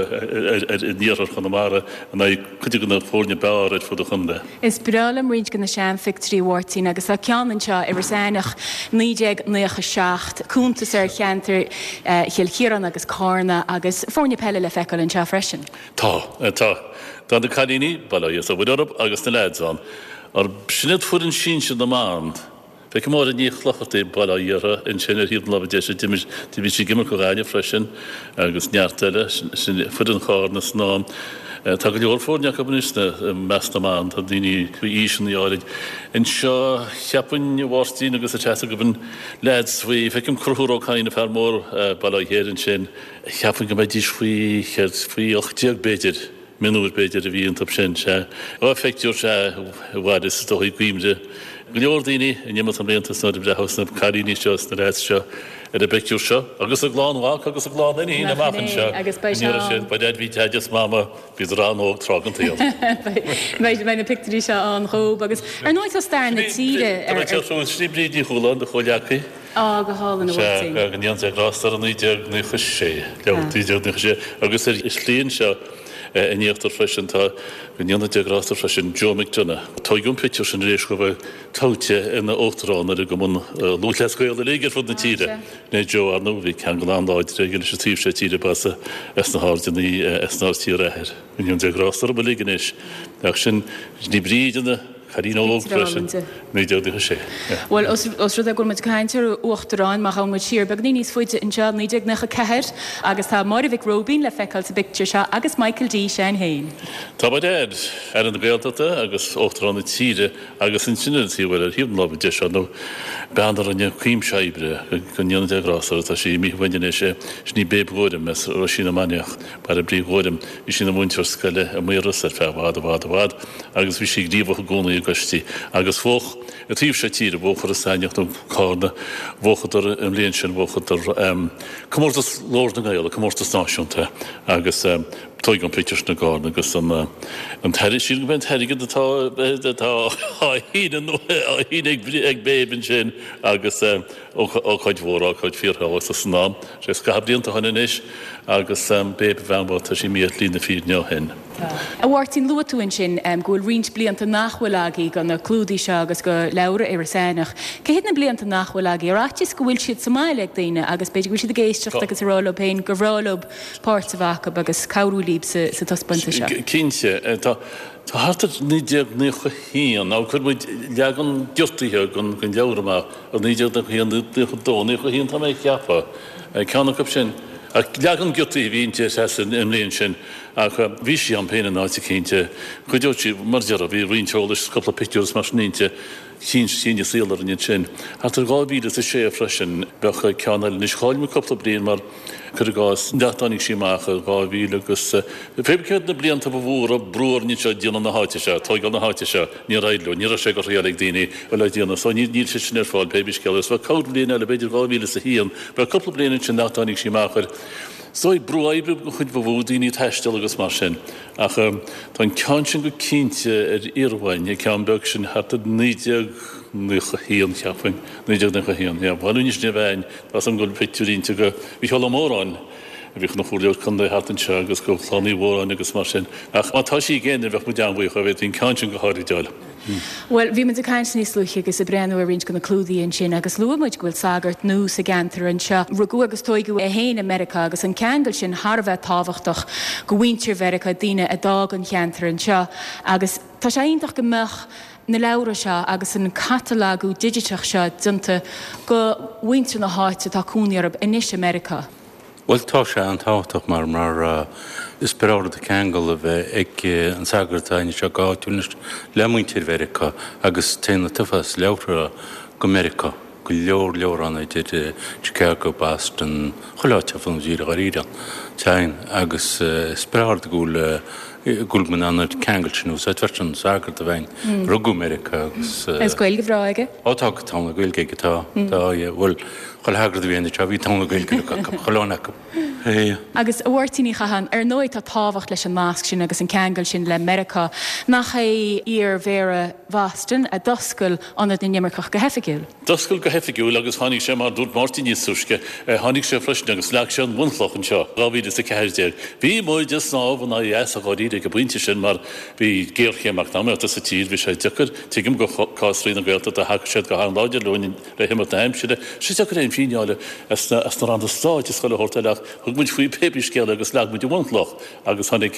S4: in iarthar Chonamara, in aghaidh cuid de na foirne b'fhearr ar fud an chontae.
S1: Is breá liom roinnt de na seanphictiúirí, a Mháirtín, agus tá ceann anseo, Iorras Aithneach, naoi déag naocha seacht, cuntas ar cheantar Chill Chiaráin agus Cárna agus foirne peile le feiceáil anseo freisin.
S4: Tá, tá. Tá na cailíní, bail ó Dhia is ó Mhuire orthu, agus na leaids ann. Arb sin iad foireann sinsir na mban? Feicim Máire Ní Chlochartaigh, Baile Átha Ghiorria, ansin ar thaobh na láimhe deise, d'imir, bhí sí ag imirt do Ghaillimh freisin agus neart eile, sin foireann Chárna san am. Tá go leor foirne acu anois i measc na mban, tá daoine faoi aoiseanna áirid. Anseo, cheapfainn, a Mháirtín agus a Treasa, gurb in leaids faoi, feicim Conchúr Ó Cadhain, an fear mór, Baile Átha Ghiorria ansin, cheapfainn go mbeidís faoi, céard, faoi ocht déag b'fhéidir. Mionúir b'fhéidir a bhí iontu sin, sea. Dhá phictiúr, sea, a mhair is dóigh i gcuimhne go leor daoine in imeacht na mblianta is nuair a breathós na cailíní seo is na leaids seo ar an bpictiúr seo agus a gclann mhac agus a gclann iníon amach anseo go ndéarfaidh siad, ba deaid bhí Deaid is Mama, bhíodar an-óg tráth den tsaol.
S1: Beidh na pictiúirí seo ann dhób agus ar ndóigh tá stair na tíre ar.
S4: Tá mé ag teacht sin í Bríd Ní Chualáin, do chomhghleacaí.
S1: Á, go hálainn, a
S4: Mháirtín. Sea, go ndéana Dia grásta uirthi, naoi déag naocha sé, leabhar naoi déag naocha sé agus ar shlí anseo in íochtar freisin tá, go ndéana Dia grásta freisin, Joe McDonagh. Tóigeadh an pictiúr sin tar éis dhó bheith toghte ina uachtarán ar an gCumann Lúthchleas Gael uilig ar fud na tíre. Né Joe, ar ndóigh, bhí ceangal an-láidir aige leis an taobh seo tíre, ba as na hAirdeanna as an Aird Thiar a athair. Go ndéana Dia grásta orthu uilig anois. Ach sin, ní Bríd ina. Cailín óg freisin, naoi déag daichead a sé.
S1: Bhuel, os rud é go bhfuil muid ag caint ar uachtaráin, má ghabhann muid siar beagainín níos faide anseo, naoi déag nócha ceathair, agus tá Máire Mhic Róibín le feiceáil sa bpictiúr seo agus Michael D. Seán féin.
S4: Tá by dad, Aire na Gaeltachta agus Uachtarán na tíre agus ansin ar an taobh eile, ar thaobh na láimhe deise, ar ndóigh, bean a rinne cuimse oibre, go ndéana Dia grásta uirthi, tá sí imithe uainn anois, sin í Babe Ghuairim as Roisín na Mainiach, Baile Brí Ghuairim. Bhí sí ina múinteoir scoile i Maigh Rois ar feadh i bhfad, i bhfad, i bhfad agus bhí sí gníomhach i gcónaí i gcoistí agus bhuaigh an taobh seo tíre, bhuaigh Iorras Aithneach nó Cárna, bhuachadar an bhliain sin, bhuachadar comórtas Ghlór na nGael, comórtas náisiúnta agus tóigeadh an pictiúr sin i gCárna agus an an t-airgead, sílim gurb é an t-airgead atá atá á shíneadh ag Babe ansin agus ócáid mhór, ócáid fíorthábhachtach san am. Sé scaitheamh blianta ó shin anois agus Babe a bhean bhocht, tá sí imithe ar shlí na fírinne ó shin.
S1: Tá. A Mháirtín, luaigh tú ansin go bhfuil roinnt blianta nach bhfuil agaibh go na clúdaigh seo agus go leabhra Iorras Aithneach. Cé hiad na blianta nach bhfuil agaibh? Ar fhaitíos go bhfuil siad sa mbaile ag daoine agus b'fhéidir go bhfuil siad ag éisteacht agus ag rá leo féin gur bhreá leo páirt a bheith acu agus cabhrú libh sa taispeántas seo?
S4: Cinnte. Tá. Tá thart ar naoi déag naocha a haon, nó chuir muid leagan giotaithe den leabhar amach i naoi déag naocha a haon, naocha a dó, naocha a haon tá mé ag ceapadh, ceann acu sin. Ach leagan giotaithe a bhí inti an mbliain sin ach bhí sí ann féin in áit eicínt. Chuideodh sí, mar a déarfá, bhí roinnt eolais, cúpla pictiúr is mar sin inti. Chinn an saol orainn ansin. Thart ar dhá mhíle is a sé freisin, bheadh ceann eile. Anois chaill muid cúpla bliain mar, cuir i gcás, nach dtáinig sí amach i dhá mhíle agus pé céard na blianta ba mhór a brú orainn anseo déanamh na háite seo, tóigeáil na háite seo, níor éirigh leo, ní raibh sé go thriail ag daoine a le déanamh so níl níl sé sin ar fáil pé bí scéal é. So bheadh corrbhliain eile, b'fhéidir dhá mhíle is a haon, bheadh cúpla bliain ansin nach dtáinig sí amach ar Is dóigh, brú oibre den chuid ba mhó, daoine ag taisteal agus mar sin. Ach tá an ceann sin go cinnte ar iarmhainn, an ceann beag sin thart ar naoi déag naocha a haon, cheapfainn, naoi déag naocha a haon, yeah. Bhuel, anois ní bheinn, tá 's agam go bhfuil pictiúirí inti go Mhícheál Ó Móráin, a bhíodh ina chomhairleoir contae thart anseo agus go Chlann Uí Mhóráin agus mar sin. Ach má tá sí againn, bheadh muid an-bhuíoch dá bhféadfaí an ceann sin go háirid a fháil.
S1: Bhuel, bhí muid ag caint níos luaithe agus ag breathnú ar roinnt de na clúdaigh ansin agus luaigh muid go bhfuil sagart nua sa gceantar anseo. Rugadh agus tóigeadh é féin i Meiriceá agus an ceangal sin thar a bheith tábhachtach go mhuintir Mheiriceá, daoine a d'fhág an cheantar anseo agus tá sé iontach go mbeadh na leabhra seo agus an catalagú digiteach seo déanta go mhuintir na háite atá cónaí orthu anois i Meiriceá.
S5: Bhuel, tá sé an-tábhachtach mar mar is breá rud an ceangal a bheith ag an sagart atá anseo go háitiúil anois le muintir Mheiriceá agus téann an t-uafás leabhartha go Meiriceá, go leor leor ann idir Chicago, Boston, chuile áit ar fud na tíre dháiríre. Téann agus is breá rud go bhfuil go bhfuil muid in ann an ceangal sin a úsáid freisin, an sagart a bheith ann, rugadh i Meiriceá agus.
S1: Agus Gaeilge bhreá aige?
S5: Ó tá, tá an Ghaeilge aige, tá, tá, bhuel, Chuile shagart a bhí anseo bhí togha na Gaeilge acu, chuile dhuine acu.
S1: Agus a Mháirtín Uí Chatháin, ar ndóigh tá tábhacht leis an nasc sin agus an ceangal sin le Meiriceá. Nach é iar-Mhéara Bhoston a d'oscail Ionad na nImirceach go hoifigiúil?
S4: D'oscail go hoifigiúil agus tháinig sé, mar a dúirt Máirtín níos túisce, tháinig sé freisin agus leag sé an bhunchloch anseo, dhá mhíle is a ceathair déag. Bhí muid ag snámh in aghaidh easa dháiríre ag an bpointe sin mar bhí géarchéim eacnamaíochta sa tír, bhí sé deacair, tuigim go cás Roinn na Gaeltachta, thacaigh siad go han-láidir leo, Le himeacht na haimsire, sé deacair aon phingin a fháil as na ranna stáit is chuile shórt eile ach thug muid faoi pé scéal é agus leag muid an bhunchloch agus tháinig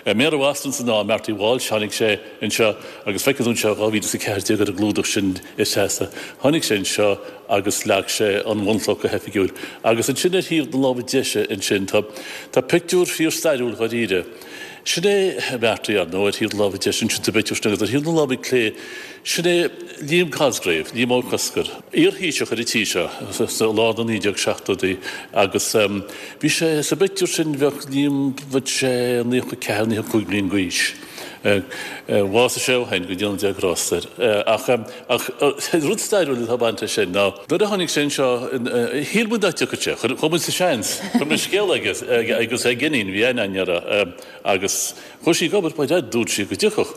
S4: Méara Bhoston san am, Marty Walsh, tháinig sé anseo agus feicfidh tú anseo dhá mhíle is a ceathair déag ar an gclúdach sin is deasa, tháinig sé anseo agus leag sé an bhunchloch go hoifigiúil agus ansin ar thaobh na láimhe deise ansin tá tá pictiúr fíor-stairiúil dháiríre. Sin é Marty, ar ndóigh, ar thaobh na láimhe deise ansin sa bpictiúr sin agus ar thaobh na láimhe clé, sin é Liam Cosgrave, Liam Ó Cosgair, iar-Thaoiseach ar an tír seo sa lár na naoi déag seachtóidí agus bhí sé sa bpictiúr sin, bheadh Liam, bheadh sé naocha ceathair, naocha cúig bliain d'aois. Bhásaigh sé ó shin, go ndéana Dia grásta air. Ach ach rud stairiúil atá ag baint leis sin ná nuair a tháinig sé anseo, shíl muid nach dtiocfadh sé, chuir muid sa seans, chuir muid scéala aige agus ag iníon, bhí aithne againn uirthi agus chuaigh sí ag obair, by dad, dúirt sí go dtiocfadh.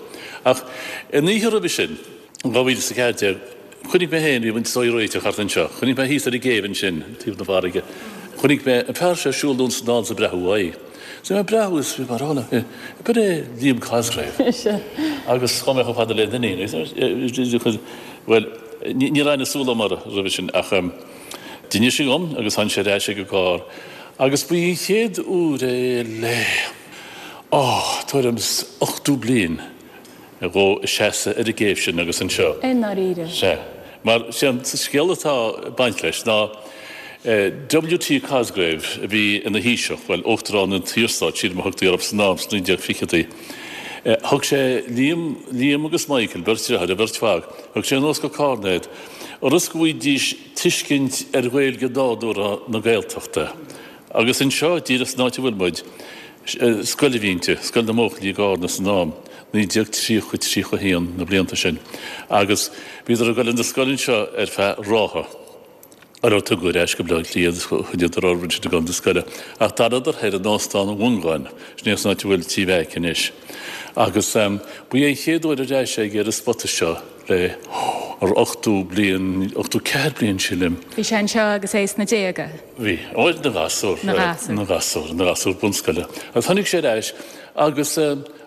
S4: Ach an oíche roimhe sin, in dhá mhíle is a ceathair déag, chonaic mé féin, bhí muid ag réiteach thart anseo, chonaic mé thíos ar an gcéibh ansin, taobh na farraige, chonaic mé an fear seo ag siúl anonn is anall is ag breathnú uaidh. So bhí mé ag breathnú is bhí mé ag rá liom féin, ab é Liam Cosgrave? Agus chuaigh mé chomh fada lena iníon, bhuel, ní raibh aithne súl agam air roimhe sin ach d'inis sí dhom agus tháinig sé ar ais ag an gcarr agus ba í an chéad uair é le, oh, tuairim is ochtó bliain. dhó seasamh ar an gcéibh sin agus anseo.
S1: I ndáiríre.
S4: Sea. Mar sé an scéal atá ag baint leis ná W T Cosgrave a bhí ina Thaoiseach, bhuel, Uachtarán an tSaorstáit, sílim a thugtaí orthu san am, sna naoi déag fichidí. Thug sé Liam, Liam agus Michael, beirt deartháir, a bheirt mhac, thug sé anuas go Cárna iad, ionas go bhfaighidís tuiscint ar Ghaeilge nádúrtha na Gaeltachta. Agus anseo, díreach san áit a bhfuil muid, scoil a bhí inti, Scoil na mBuachaillí i gCárna san am, naoi déag tríocha, tríocha a haon, na blianta sin. Agus bhíodar ag dul chun na scoile anseo ar feadh ráithe. Ar ar tugadh ar ais go Baile Átha Cliath iad, choinníodar orthu ansin ag dul chun na scoile. Ach d'fhanadar thoir in Óstán an Mhongáin, sin é san áit a bhfuil Tí Mheaic anois. Agus ba é an chéad uair ar ais aige ar an spota seo le ar ochtó bliain, ochtó ceathair bliain sílim.
S1: Bhí sé anseo agus é sna déaga?
S4: Bhí. Ó, ina ghasúr.
S1: Ina ghasúr.
S4: Ina ghasúr, ina ghasúr bunscoile. Agus tháinig sé ar ais agus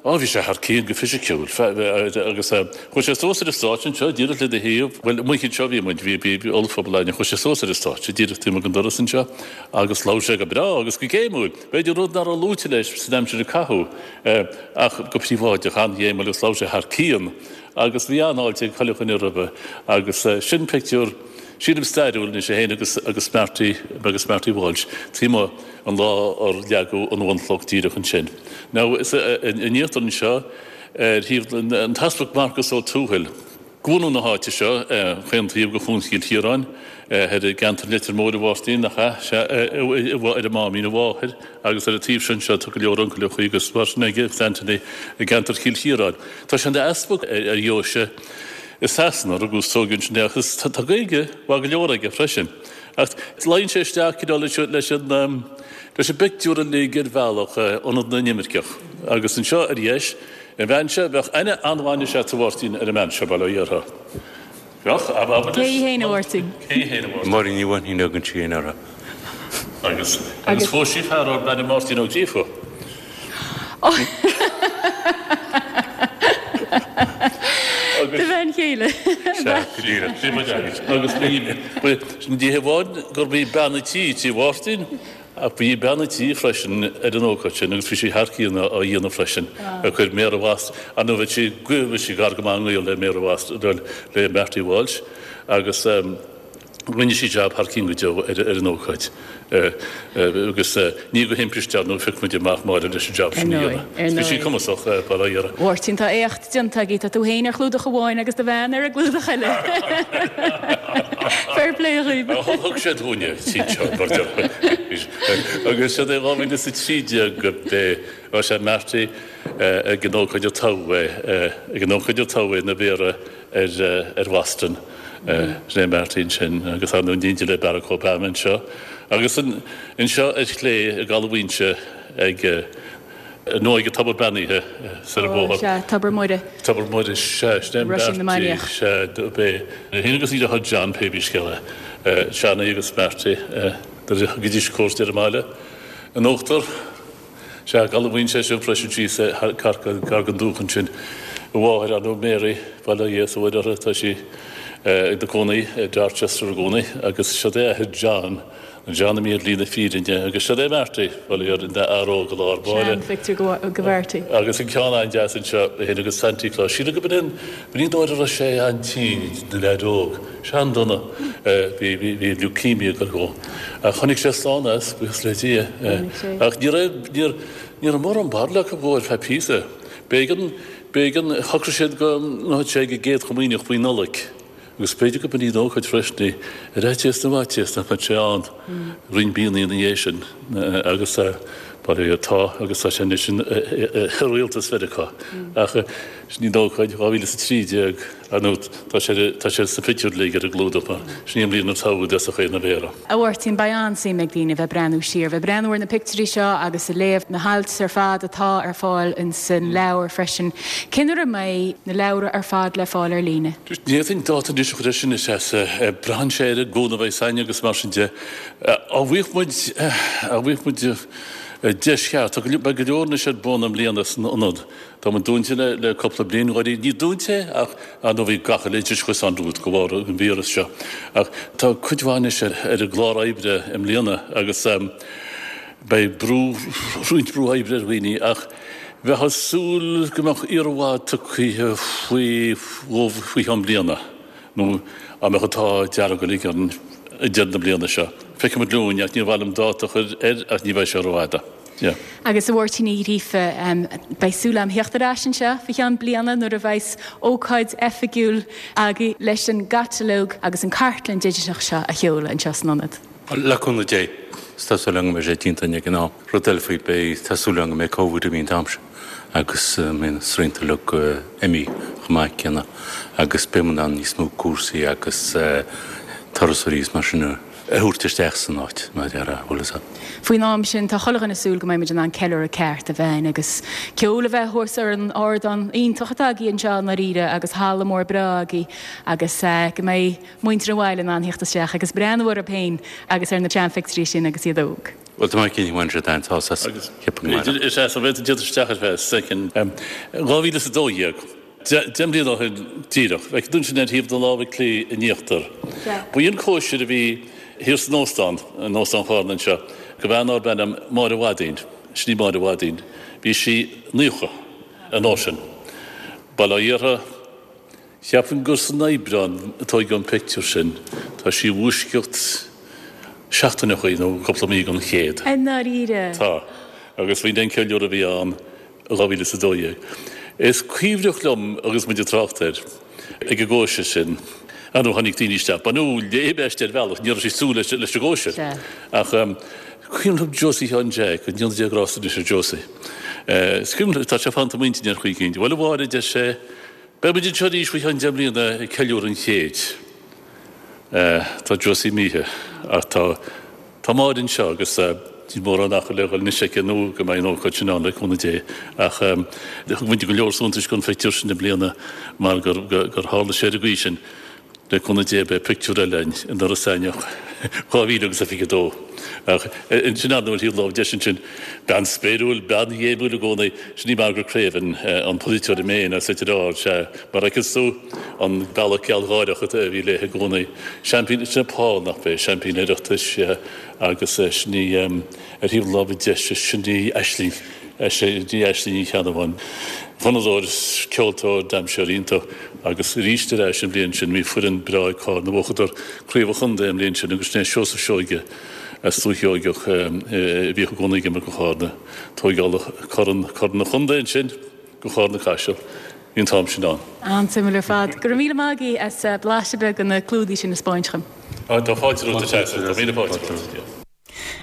S4: Á, bhí sé thar cionn go fisiciúil. Agus chuaigh sé suas ar an stáitse anseo, díreach le do thaobh, bhuel, amuigh anseo a bhí muid, bhí, bhí ollphuball againn, chuaigh sé suas ar an stáitse, díreach taobh amuigh den doras anseo, agus labhair sé go breá agus go géimiúil. B'fhéidir rud nach raibh luaite leis san aimsir a caitheadh, ach go príobháideach, an-ghéimiúil agus labhair sé thar cionn. Agus bhí an-fháilte ag chuile dhuine roimhe. Agus sin pictiúr, sílim stairiúil anois, é féin agus, agus Marty, agus Marty Walsh, taobh amuigh. an lá ar leagadh an bhunchloch díreach ansin. Now, is in íochtar anseo, ar thaobh an tEaspag Marcas Ó Tuathail, bunú na háite seo, chaon taobh de Chuan Chill Chiaráin, thoir i gceantar Leitir Móir, a Mháirtín, nach ea? Sea, ar a mháimín, a mháthair, agus ar an taobh seo anseo tá go leor uncail agus mar sin aige, agus Anthony, i gceantar Chill Chiaráin. Tá sé ina easpag ar dheoise i Sasana, rugadh is tógadh ansin é, agus tá Gaeilge mhaith go leor aige freisin. Ach luíonn sé isteach cineál leis leis an leis an bpictiúr uilig ar bhealach, Ionad na nImirceach. Agus anseo ar dheis, an bhean seo, bheadh aithne an-mhaith anois agat a Mháirtín ar an mbean seo, bail ó Dhia uirthi. Bheadh, ab abair
S1: Cé hí fhéin, a Mháirtín?
S4: Cé hí fhéin, a Mháirtín?
S5: Máirín Ní Mhainnín a thugann sí fhéin uirthi.
S4: Agus agus phós sí fear arb ainm Máirtín Ó Gríofa.
S1: Do bhean chéile.
S4: Sea, go díreach. Sin muid agat. Agus bhí, ní hamháin gurb í bean an tí tí Mháirtín, ach bhí bean an tí freisin ar an ócáid sin agus bhí sí thar cionn á dhéanamh freisin. Ag cur Méara Bhoston, ar ndóigh bhí sí, bhí sí gar go maith i ngaol le Méara Bhoston, le Marty Walsh agus, Rinne sí jab thar cionn go deo ar an ócáid agus ní go himpiste, ar ndóigh, phioc muid amach Máire leis an jab sin a dhéanamh. Bhí sí cumasach, bail ó Dhia uirthi.
S1: A Mháirtín, tá éacht déanta agaibh, tá tú féin ar chlúdach amháin agus do bhean ar an gclúdach eile. Fair play dhaoibh.
S4: Thug sé dúinne tríd seo, mar déarfá. Agus siod é dhá mhíle is a trí déag bhí sé Marty ag an ócáid a toghadh é, ag an ócáid a toghadh é ina mhéara ar Bhoston. Sin é Marty ansin agus ar ndóigh in éindí le Barack Obama anseo agus anseo ar chlé i gCaladh Mhaínse ag nó ag an tobar beannaithe soir an bóthar.
S1: Sea, Tobar Muire.
S4: Tobar Muire, sea, sin é
S1: Roisín na
S4: Marty,
S1: Mainiach.
S4: sea, dob é. É féin agus a dheartháir John, pé bí scéal é. Johnny agus Marty, nuair a thugaidís cuairt ar an mbaile in uachtar. Sea, i gCaladh Mhaínse é sin freisin síos gar don dúiche ansin. A mháthair, ar ndóigh, Mary, bail ó Dhia is ó Mhuire uirthi, tá sí ina cónaí i Dorchester i gcónaí agus siod é athair John, an John a mbí ar shlí na fírinne agus siod é Marty, bail ó Dhia air, ina fhear óg i lár báire.
S1: Sean-phictiúr de Mharty.
S4: Agus an ceann an-deas anseo, é féin agus Santy Claus. Sílim go b'in b'in í an uair a raibh sé an-tinn, ina leaid óg. Sean-dona. Bhí, bhí, bhí leukemia ag dul dhó. Ach tháinig sé slán as, buíochas le Dia. Ach ní raibh, ní, ní raibh mórán barúil acu dhó ar feadh píosa. B'éigean, b'éigean, shocraigh siad go ngabhfadh sé ag an gCéad Chomaoineach faoi Nollaig agus b'fhéidir go b'in í an ócáid freisin í, ar fhaitíos na bhfaitíos nach mbeadh sé ann roinnt míonna ina dhiaidh sin agus bail ó Dhia air, tá agus tá sé anois i rialtas Mheiriceá. Ach sin í an ócáid, dhá mhíle is a trí déag, ar ndóigh tá sé, tá sé sna pictiúir uilig ar an gclúdach mar sin í an bhliain a toghadh i dtosach é ina mhéara.
S1: A Mháirtín, beidh an-suim ag daoine bheith breathnú siar, bheith breathnú ar na pictiúirí seo agus ag léamh na hailt ar fad atá ar fáil insan leabhar freisin. Cén uair a mbeidh na leabhra ar fad le fáil ar líne?
S4: Ní fhéadfainn dáta anois a chur air sin, a Threasa. Braitheann sé ar an gcúnamh a bheidh againn agus mar sin de. Á bhfaigheadh muid, á bhfaigheadh muid deis cheart, tá go leor, beidh go leor anois ar bun i mbliana san ionad. Tá muid dúnta le le cúpla bliain, dháiríre. Ní dúnta é ach ar ndóigh bhí gach uile oideachas ann de bharr an víreas seo. Ach tá cuid mhaith anois ar ar an gclár oibre i mbliana agus beidh brú, roinnt brú oibre ar dhaoine ach Bheifeá ag súil go mbeadh iarmhad tugtha faoi faoi cheann bliana, nó dá mbeadh an t-ádh dearg uilig orainn ag deireadh na bliana seo. Feicfimid linn, ach níor mhaith liom dáta a chur air ach ní bheidh sé rófhada. Yeah.
S1: Agus a Mháirtín Uí Ghríofa, beidh súil agam theacht ar ais anseo faoi cheann bliana nuair a bheas ócáid oifigiúil agaibh leis an gcatalóg agus an cartlann digiteach seo a sheoladh anseo san ionad.
S5: Le cúnamh Dé, tá súil agam go mbeidh sé déanta ag an am. Rud eile faoi, beidh tá súil agam go mbeidh Covid imithe an t-am sin agus mbeidh na srianta uilig imithe chomh maith céanna agus beidh muid in ann níos mó cúrsaí agus turasóirí is mar sin a thabhairt isteach san áit, mar a déarfá, bhfuil fhios agat.
S1: Faoin am sin, tá chuile dhuine ag súil go mbeidh muid in ann ceiliúradh ceart a bheith ann agus ceol a bheith thuas ar an ardán iontach atá agaibh anseo i ndáiríre agus halla mór breá agaibh agus go mbeidh muintir an bhaile in ann theacht isteach agus breathnú orthu féin agus ar na seanphictiúirí sin agus iad óg.
S5: Bhuel, tá mé cinnte go mbainfidh siad an-sásamh as, ceapaim go mbainfidh.
S4: Is ea, so bheadh tú isteach ar feadh soicind. dhá mhíle is a dó dhéag. Deich mbliana ó shin díreach. Feiceann tú ansin ar thaobh na láimhe clí in íochtar. Ba í an cóisir a bhí thiar san óstán, in Óstán Chárna anseo, do bhean darb ainm Máire Mhaidín, sin í Máire Mhaidín. Bhí sí naocha an uair sin. Bail ó Dhia uirthi, cheapfainn gur san Aibreán a tóigeadh an pictiúr sin. Tá sí i bhfoisceacht seachtaineachaí nó cúpla mí den chéad.
S1: I ndáiríre?
S4: Tá. Agus b'in an ceiliúradh a bhí ann i dhá mhíle is a dó dhéag. Is cuimhneach liom agus muid ag trácht air ag an gcóisir sin, ar ndóigh tháinig daoine isteach, ba nó léim aisti ar bhealach, ní raibh sí ag súil leis an gcóisir. Ach cuimhin liom Josie Sheáin Jeaic, go ndéana Dia grásta anois ar Josie. Is cuimhin liom, tá sé fanta i m'intinn ar chaoi éicint, bhuel a Mháire, a deir sé, beidh muid anseo arís faoi cheann deich mbliana ag ceiliúradh an chéid. Tá Josie imithe ach tá. Tá Máire anseo agus níl mórán achar le dhul anois aici nó go mbeidh an ócáid sin ann le cúnamh Dé. Ach thug muid go leor suntais don phictiúr sin i mbliana mar gur tharla sé ar an gcaoi sin. Le cúnamh Dé beidh pictiúr eile againn in Iorras Aithneach dhá mhíle agus a fiche dó. Ach ansin ar ndóigh ar thaobh láimhe deis ansin, bean spéiriúil, bean ghéimiúil i gcónaí, sin í Margaret Craven, an polaiteoir i Maine as Leitir Ard, sea, mar a fheiceanns tú an bealach gealgháireach a bhí léi i gcónaí. Seaimpín, sin é Paul, nach b'é, seaimpín Oireachtais agus sin í ar thaobh na láimhe deise, sin í Aisling, sin í Aisling Ní Cheannabháin. Fonnadóir, ceoltóir, damhsóir iontach agus arís ar ais an bhliain sin bhí foireann breá ag Carna, bhuadar Craobh an Chontae an bhliain sin agus sin é Seosamh Seoige as Dúiche Sheoigeach a bhíodh i gcónaí ag imirt do Chárna. Tóigeáladh corn, corn an chontae ansin do Chárna Caiseal. Bhí an t-am sin ann.
S1: An-suimiúil ar fad. Go raibh míle maith agaibh as blaiseadh beag de na clúdaigh sin a 'spáint dhom.
S4: Tá fáilte romhat, a Treasa. Tá míle fáilte romhat.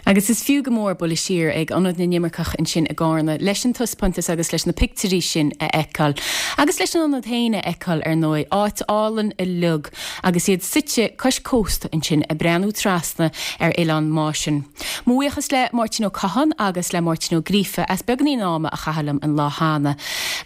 S1: Agus is fiú go mór bualadh siar ag Ionad na nImirceach ansin i gCárna leis an taispeántas agus leis na pictiúirí sin a fheiceáil. Agus leis an ionad féin a fheiceáil, ar ndóigh. Áit álainn uilig agus iad suite cois cósta ansin ag breathnú trasna ar Oileán Máisean. Mo bhuíochas le Máirtín Ó Catháin agus le Máirtín Ó Gríofa as beagáinín ama a chaitheamh liom an lá cheana.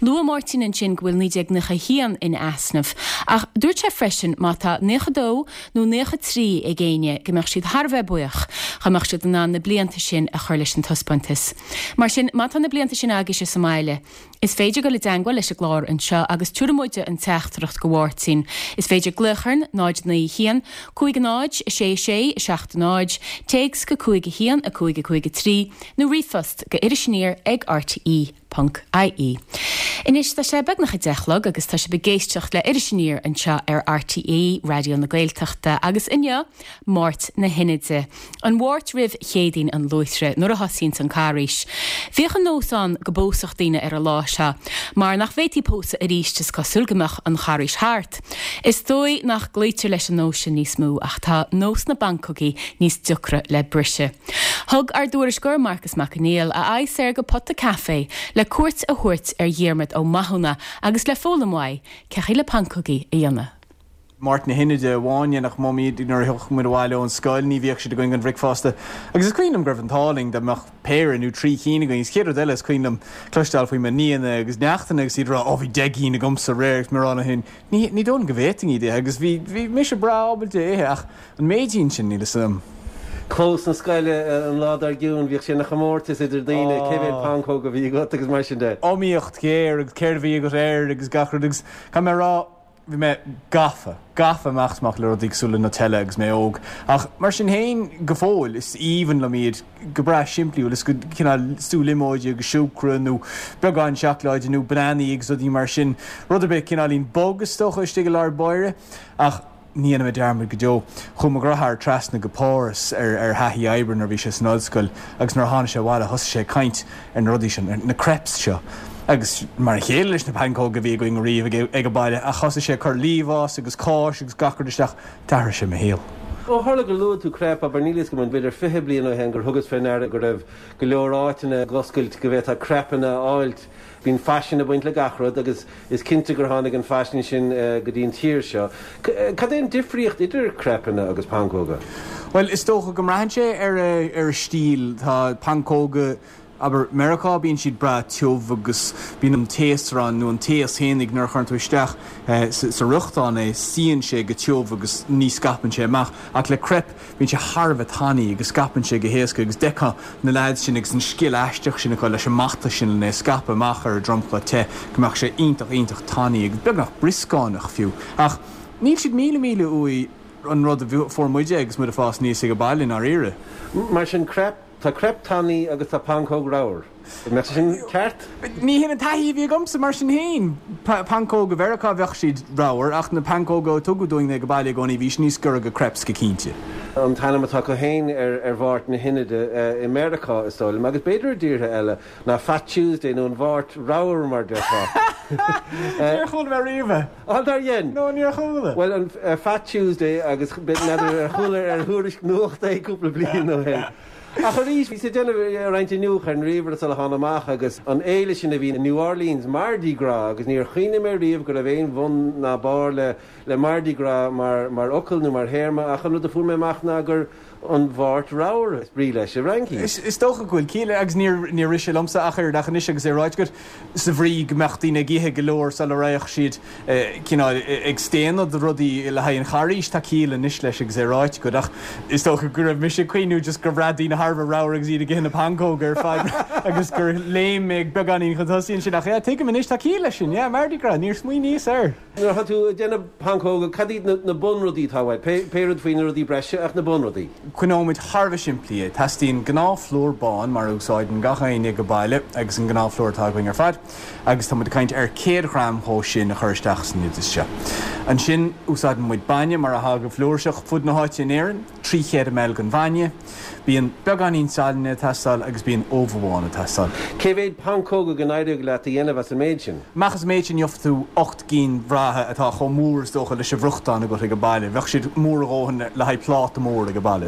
S1: Luaigh Máirtín ansin go bhfuil naoi déag naocha a haon in easnamh, ach dúirt sé freisin má tá naocha dó nó naocha trí ag éinne go mbeadh siad thar a bheith buíoch dá mbeadh siad in ann na blianta sin a chur leis an taispeántas. Mar sin, má tá na blianta sin agaibhse sa mbaile, Is féidir dul i dteangmháil leis an gclár anseo agus tabharfaidh muide an teachtaireacht go Mháirtín. Is féidir glaoch orainn, náid naoi a haon, cúig a náid, a sé a sé, a seacht a náid, téacs go cúig a haon, a cúig a cúig a trí, nó ríomhphost go Iris Aniar ag rte ponc ie. Anois tá sé beagnach a deich a chlog agus tá sibh ag éisteacht le Iris Aniar anseo ar RTÉ Raidió na Gaeltachta agus inniu, Máirt na hInide. An Mháirt roimh Chéadaoin an Luaithre, nuair a thosaíonns an Carghais. Bhíodh an nós ann go bpósfadh daoine ar an lá seo, mar nach bhféadfaí pósadh arís is cosúil go mbeadh an Charghais thart. Is dóigh nach gcloítear leis an nós sin níos mó ach tá nós na bpancógaí níos deacra le briseadh. Thug ár dtuairisceoir Marcas Mac Conghail a aghaidh soir go Pota Café le cuairt a thabhairt ar Dhiarmaid Ó Mathúna agus le foghlaim uaidh cén chaoi le pancógaí a dhéanamh.
S6: Máirt na hInide amháin dhéanadh Mamaí iad nuair a thiocfadh muid abhaile ón scoil, ní bhíodh siad againn don bhricfeasta. Agus is cuimhin liom go raibh an t-ádh linn dá mbeadh péire nó trí cinn againn. Agus chéad rud eile is cuimhin liom cloisteáil faoi mo nianna agus neachtanna agus iad ag rá 'Ó bhí deich gcinn agamsa aréir' agus mé ag rá leo féin 'Ní ní dóigh liom go bhféadfainn iad a ithe' agus bhí bhí mise breá ábalta é a ithe ach an méidín sin níl 'fhios a'm.
S7: Clós na scoile an lá dár gcionn bhíodh sé ina chomórtas idir daoine cé mhéad pancóg a bhí agat agus mar sin de.
S6: Iomaíocht ghéar agus céard a bhí agat air agus gach rud agus caithfidh mé a rá Bhí mé gafa, gafa amach is amach le rudaí cosúil le Nutella agus mé óg. Ach mar sin féin, go fóill, is aoibhinn liom iad go breá simplí, bhfuil fhios agat, cineál sú liomóide agus siúcra nó beagán seacláide nó bananaí agus rudaí mar sin. Rud ar bith cineáilín bog is dócha istigh i lár báire. Ach ní dhéanfaidh mé dearmad go deo. Chuaigh mo dheartháir trasna go Páras ar ar thaithí oibre nuair a bhí sé san ollscoil agus nuair a tháinig sé abhaile thosaigh sé ag caint ar na rudaí sin, na crêpes seo. Agus mar a chéile leis na pancóga a bhí againn ariamh ag an baile, ach thosaigh sé ag cur liamhás agus cáis agus gach rud isteach, d'athraigh sé mo shaol.
S7: Ó tharla gur luaigh tú crepe, abair, níl a fhios agam an b'fhéidir fiche bliain ó shin gur thugas fé ndeara go raibh go leor áiteanna ag oscailt go bhféadfá crepeanna a fháilt. Bíonn faisean ag baint le gach rud agus is cinnte gur tháinig an faisean sin go dtí an tír seo. Cad é an difríocht idir crepeanna agus pancóga?
S6: Bhuel, is dócha go mbraitheann sé ar a stíl. Tá pancóga Abair, Meiriceá, bíonn siad breá tiubh agus bíonn an taosrán nó an taos fhéinig nuair a chuireann tú isteach sa fhriochtán é, suíonn sé go tiubh agus ní scaipeann sé amach. Ach le crepe, bíonn sé thar a bheith tanaí agus scaipeann sé go héasca agus d'fheicfeá na leaids sin agus an scil aisteach sin acu leis an mbata sin lena scaipeadh amach ar an dromchla te go mbeadh sé iontach, iontach tanaí agus beagnach brioscánach fiú. Ach níl siad míle míle uaidh an rud a fuair muide agus muid ag fás aníos ag baile i ndáiríre.
S7: Mar sin, crepe Tá crepe tanaí agus tá pancóg ramhar. An mbeadh sé sin ceart?
S6: Ní hin an taithí a bhí agamsa mar sin féin. Pancóga Mheiriceá bheadh siad ramhar ach na pancóga a tugadh dúinn ag baile i gcónaí bhí siad níos giorra go crepes go cinnte.
S7: An t-ainm atá acu féin ar Mháirt na hInide i Meiriceá, is dóigh liom, agus b'fhéidir i dtíortha eile, ná Fat Tuesday nó an Mháirt Ramhar mar déarfá.
S6: Níor chuala mé riamh é.
S7: Á, nár dhein?
S6: No, níor chuala.
S7: Bhuel, an Fat Tuesday agus n'fheadar ar chuala ar thuairisc nuachta é cúpla bliain ó shin. Ach arís, bhíos ag déanamh roinnt iniúchadh ar an ríomhaire sula thána amach agus an fhéile sin a bhí i New Orleans, Mardi Gras, agus níor chuimhnigh mé riamh go raibh aon bhun ná barr le le Mardi Gras mar mar fhocal nó mar théarma ach an rud a fuair mé amach ná gur an Mháirt Ramhar is brí leis i bhFraincis.
S6: Is dócha go bhfuil ciall agus níor níor rith sé liomsa ach oiread ach anois agus é ráite agat, sa bhrí go mbeadh daoine ag ithe go leor sula raghadh siad cineál ag staonadh de rudaí le haghaidh an Charghais, tá ciall anois leis agus é ráite agat ach is dócha go raibh mise ag cuimhniú just gur bhraith daoine thar a bheith ramhar agus iad ag ithe na pancóga ar fad agus gur léim mé beagáinín chun tosaigh ansin ach yeah tuigim anois tá ciall leis sin, yeah Mardi Gras, níor smaoiníos air.
S7: Nuair atá tú ag déanamh pancóga, cad iad na bunrudaí atá uait? Pé rud faoi na rudaí breise ach na bunrudaí.
S6: Coinneoimid thar a bheith simplí é. Teastaíonn gnáthphlúr bán mar a úsáideann gach éinne ag baile agus an gnáthphlúr atá againn ar fad agus tá muid ag caint ar céad ghram dhó sin a chur isteach san oideas seo. Ansin úsáideann muid bainne mar atá go flúirseach fud na háite in Éirinn, trí chéad ml den bhainne. Bíonn beagáinín salainn ag teastáil agus bíonn ubh amháin ag teastáil.
S7: Cé mhéad pancóga go n-éireodh leat a dhéanamh as an méid sin?
S6: Amach as an méid sin gheobhaidh tú ocht gcinn bhreátha atá chomh mór is dócha leis an bhfriochtán agat ag baile. Bheadh siad mór a dhóthain le haghaidh pláta mór ag baile.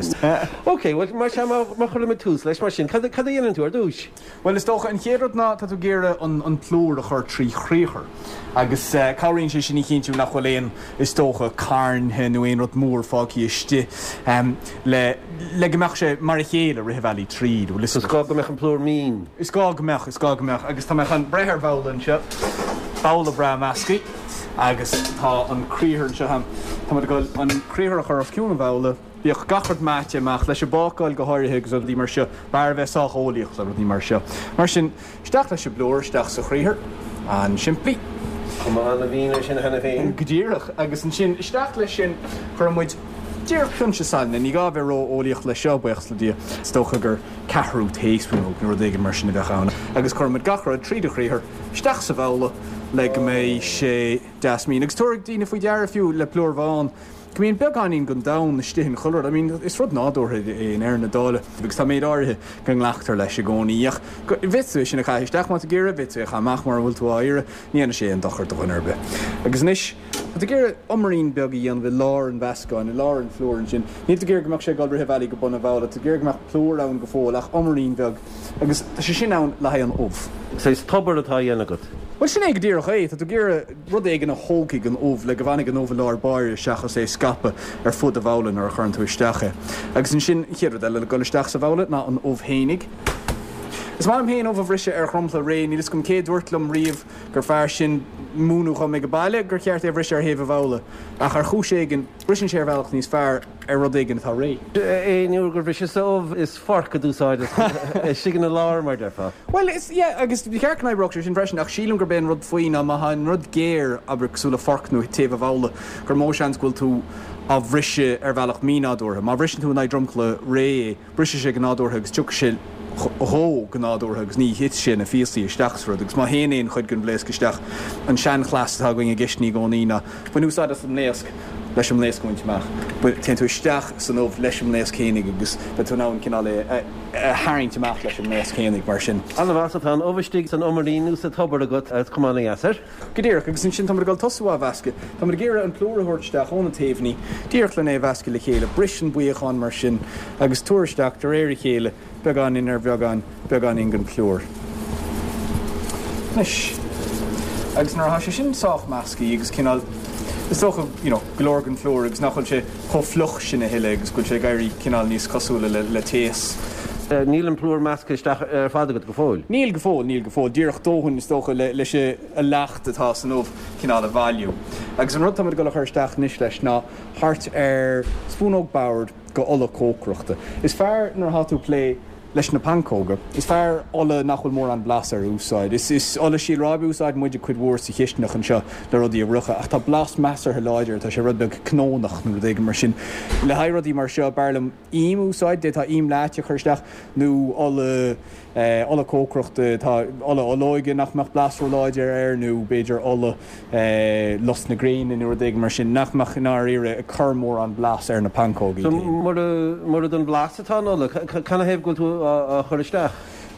S7: Ok, bhuel mar sea, má chuirimid tús leis mar sin, cad a dhéanann tú ar dtús?
S6: Bhuel, is dócha an chéad rud ná tá tú ag iarraidh an plúr a chur trí chriathar agus cabhraíonn sé sin a chinntiú nach bhfuil aon, is dócha, cairnthe nó aon rud mór fágtha istigh le le go mbeadh sé mar a chéile rith an bhealaigh tríd, bhfuil fhios
S7: Is gá go mbeadh an plúr mín.
S6: Is gá go mbeadh, is gá go mbeadh. Agus tá mé chun breith ar bhabhla anseo, babhla breá measctha agus tá an criathar anseo agam. Tá muid ag dul an criathar a chur os cionn an bhabhla. Bíodh gach rud meáite amach, leis an bácáil go háirithe agus rudaí mar seo, b'fhearr a bheith sách eolaíoch le rudaí mar seo. Mar sin, isteach leis an bplúr, isteach sa chriathar. An-simplí.
S7: Cuma an-mhín air sin cheana féin.
S6: Go díreach. Agus ansin, isteach leis sin, cuireann muid díreach pionsa salainn. Ní gá a bheith ró-eolaíoch leis seo, buíochas le Dia. Is dócha gur ceathrú taespúnóg nó rud éigin mar sin a bheadh ann. Agus cuireann muid gach rud tríd an chriathar, isteach sa bhabhla le go mbeidh sé deas mín. Agus tabharfaidh daoine faoi deara fiú le plúr bhán, go mbíonn beagáinín den donn istigh in chuile rud. I mean, is rud nádúrtha é i ndeireadh na dála agus tá méid áirithe go nglactar leis i gcónaí. Ach bhféadfadh tú é sin a chaitheamh isteach má tá tú ag iarraidh, bhféadfadh tú é a chaitheamh amach mura bhfuil tú á iarraidh, ní dhéanfaidh sé aon dochar do dhuine ar bith. Agus anois, tá tú ag iarraidh umairín beag a dhéanamh i lár an mheascáin, i lár an phlúir ansin. Níl tú ag iarraidh go mbeadh sé ag dul rith an bhealaigh go bun an bhabhla, tá tú ag iarraidh go mbeadh plúr ann go fóill ach umairín beag. Agus tá sé sin ann le haghaidh an ubh.
S7: Saghas tobar atá á dhéanamh agat.
S6: Bhuel, sin é go díreach é. Tá tú ag iarraidh rud éigin a thógfaidh an ubh le go bhfanfaidh an ubh i lár báire seachas é scaipeadh ar fud an bhabhla nuair a chuireann tú isteach é. Agus ansin, an chéad rud eile le dul isteach sa bhabhla ná an ubh fhéinig. Is maith liom féin ubh a bhriseadh ar dhromchla réidh, níl fhios agam cé a dúirt liom riamh gur fearr sin múineadh dhom ag baile gur cheart é a bhriseadh ar thaobh an bhabhla, ach ar chúis éigin, briseann sé ar bhealach níos fearr ar rud éigin atá réidh.
S7: Aon uair gur bhriseas ubh, is forc a d'úsáideas, istigh ina lár, mar déarfá.
S6: Bhuel, is, yeah, agus ba cheart go n-oibreodh sé sin freisin, ach sílim gurb é an rud faoi ná má tá an rud géar, abair, cosúil le forc nó taobh an bhabhla, gur mó seans go bhfuil tú á bhriseadh ar bhealach mínádúrtha. Má bhriseann tú in aghaidh dromchla réidh é, brisfidh sé go nádúrtha agus tiocfaidh sé dhó go nádúrtha agus ní thitfidh sé ina phíosaí isteach sa rud. Agus má théann aon chuid den bhlaosc isteach, an seanchleas atá againn i gcistiní i gcónaí ná bain úsáid as an mblaosc leis an mblaosc a bhaint amach. Téann tú isteach san ubh leis an mblaosc fhéinig agus beidh tú in ann cineál é a tharraingt amach leis an mblaosc fhéinig mar sin.
S7: An-mhaith, so tá an ubh istigh san umairín nó sa tobar agat agus cuma ana-dheas air.
S6: Go díreach, agus ansin táimid ag dul tosú á mheascadh. Táimid ag iarraidh an plúr a thabhairt isteach ó na taobhannaí, díreach len é a mheascadh le chéile. Bris an buíochán mar sin agus tabhair isteach de réir a chéile, beagáinín ar bheagán, beagáinín den phlúr. Anois, agus nuair atá sé sin sách measctha agus cineál, is dócha, you know, go leor den phlúr agus nach bhfuil sé chomh fliuch sin a thuilleadh agus go bhfuil sé ag éirí cineál níos cosúla le, le taos.
S7: Níl an plúr measctha isteach ar fad agat go fóill?
S6: Níl go fóill, níl go fóill. Díreach dóthain, is dócha, le, leis an leacht atá san ubh cineál a bhailiú. Agus an rud táimid ag dul a chur isteach anois leis ná thart ar spúnóg boird go ola cócaireachta. Is fearr nuair atá tú ag plé leis na pancóga, is fearr ola nach bhfuil mórán blas air a úsáid. Is, is ola síol ráibe a úsáideann muid cuid mhór sa chistineach anseo le rudaí a fhriochadh, ach tá blas measartha láidir air, tá sé rud beag cnónach nó rud éigin mar sin. Le haghaidh rudaí mar seo, b'fhearr liom im a úsáid, d'fhéadfá im leáite a chur isteach nó ola, ola cócaireachta, tá ola olóige nach mbeadh blas róláidir air nó b'fhéidir ola lus na gréine nó rud éigin mar sin nach mbeadh i ndáiríre ag cur mórán blas ar na pancóga
S7: iad féin. Mura don bhlas atá an ola, canathaobh go bhfuil tú á chur isteach?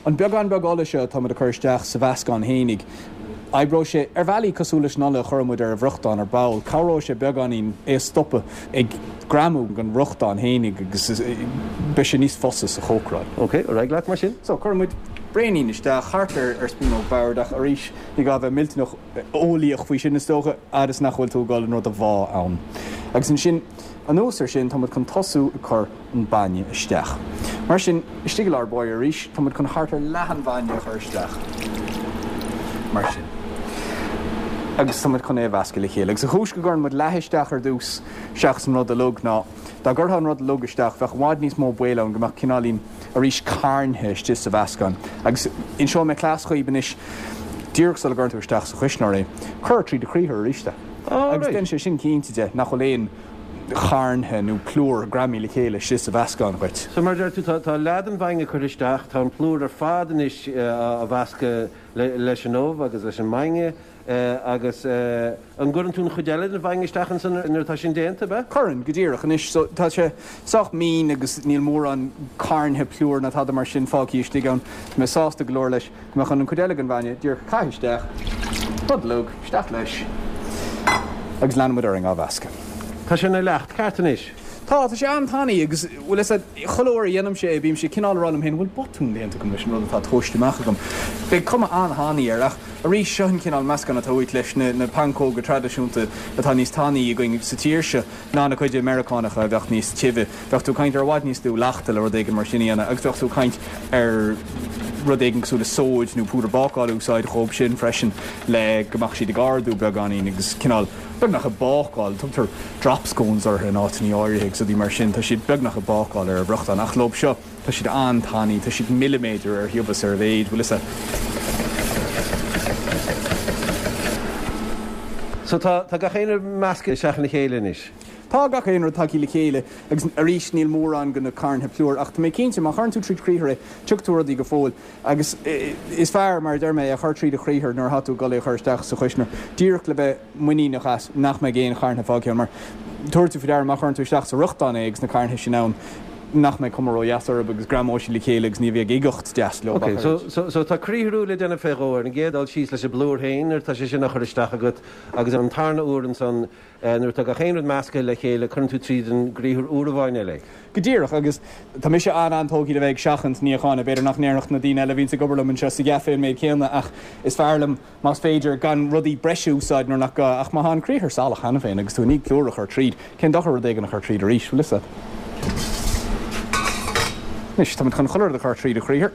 S6: An beagán beag ola seo atá muid a chur isteach sa mheascán fhéinig, oibreoidh sé ar bhealaí cosúil leis an ola a chuirfidh muid ar an bhfriochtán ar ball. Cabhróidh sé beagáinín é a stopadh ag greamú den fhriochtán fhéinig agus beidh sé níos fusa sa chócaráil.
S7: Ok, ar aghaidh leat mar sin.
S6: So, cuirfidh muid braonín isteach, thart ar ar spúnóg boird ach arís ní gá bheith millteanach eolaíoch faoi sin is dócha, fhad is nach bhfuil tú ag dul an rud a bhá ann. Agus ansin, anuas air sin, tá muid chun tosú ag cur an bainne isteach. Mar sin, istigh i lár báire arís, tá muid chun thart ar leath an bhainne a chur isteach. Mar sin. Agus tá muid chun é a mheascadh le chéile. Agus an chúis go gcuireann muid leath isteach ar dtús seachas an rud uilig ná, dá gcuirfeá an rud uilig isteach, bheadh i bhfad níos mó baol ann go mbeadh cineáilín arís carntha istigh sa mheascán. Agus inseoidh mé cleas dhaoib anois, díreach sula gcuireann tú isteach sa chuisneoir é, cuir trí do chriathar arís é. Agus déanann sé sin cinnte de nach bhfuil aon charntha nó plúr greamaithe le chéile istigh sa mheascán dhuit.
S7: So mar a deir tú, tá leath den bhainne curtha isteach, tá an plúr ar fad anois á mheascadh leis an ubh agus leis an mbainne agus an gcuireann tú an chuid eile den bhainne isteach ansan nuair atá sin déanta, ab ea?
S6: Cuireann, go díreach. Anois, so tá sé sách mín agus níl mórán carntha plúir ná tada mar sin fágtha istigh ann. Tá mé sásta go leor leis. Tá mé chun an chuid eile den bhainne díreach a chaitheamh isteach, rud uilig, isteach leis agus leanfaidh muid orainn á mheascadh.
S7: Tá sé ina leacht ceart anois.
S6: Tá, tá sé an-tanaí agus, bhfuil fhios a'd, chuile uair a dhéanaimse é bímse cineál ag rá liom féin, bhfuil botún déanta agam leis an rud atá tomhaiste amach agam. Beidh cuma an-thanaí air ach arís seo an cineál meascán atá uait leis na na pancóga traidisiúnta atá níos tanaí againn sa tír seo ná na cuid Meiriceánacha a bheadh níos tibhe. Bheadh tú ag caint ar i bhfad níos lú leachta le rud éigin mar sin a dhéanamh agus bheadh tú ag caint ar rud éigin cosúil le sóid nó púdar bácála a úsáid dhóib sin freisin le go mbeadh siad ag ardú beagáinín agus cineál beagnach ag bácáil. Tugtar drop scones orthu in áiteanna áirithe agus rudaí mar sin. Tá siad beagnach ag bácáil ar an bhfriochtán ach leob seo tá siad an-tanaí, tá siad milliméadar ar thiubhas ar a mhéid, bhfuil fhios a'd.
S7: So tá tá gach aon rud measctha isteach ina chéile anois.
S6: Tá gach aon rud tagtha le chéile agus arís níl mórán de na carntha plúir ach tá mé cinnte má chuireann tú tríd chriathar é tiocfaidh tú ar rudaí go fóill agus is fearr, mar a deir mé, é a chur tríd an chriathar nuair atá tú ag dul é a chur isteach sa chuisneoir díreach le bheith muiníneach as nach mbeidh aon charntha fágtha ann mar tabharfaidh tú faoi deara má chuireann tú isteach sa fhriochtán é agus na carntha sin ann nach mbeidh cuma ródheas orthu agus greamóidh siad le chéile agus ní bheidh uigeacht deas leo
S7: Ok, so, so, so tá criathrú le déanamh fé dhó ar an gcéad dul síos leis an bplúr féin nuair atá sé sin á chur isteach agat agus an tarna uair ansan Nuair atá gach aon rud measctha le chéile, cuireann tú tríd an gcriathar uair amháin eile é.
S6: Go díreach, agus tá mise an-an-tógtha le bheith ag seachaint níocháin. B'fhéidir nach ndéarfadh na daoine eile a bhíonns ag obair liom anseo sa gcaifé an méid céanna, ach is fearr liom, más féidir, gan rudaí breise a úsáid nuair nach gá. Ach má tá an criathar salach cheana féin agus tú i ndiaidh plúr a chur tríd, cén dochar rud éigin a chur tríd arís, bhfuil fhios a'd? Anois, táimid chun chuile rud a chur tríd an chriathar.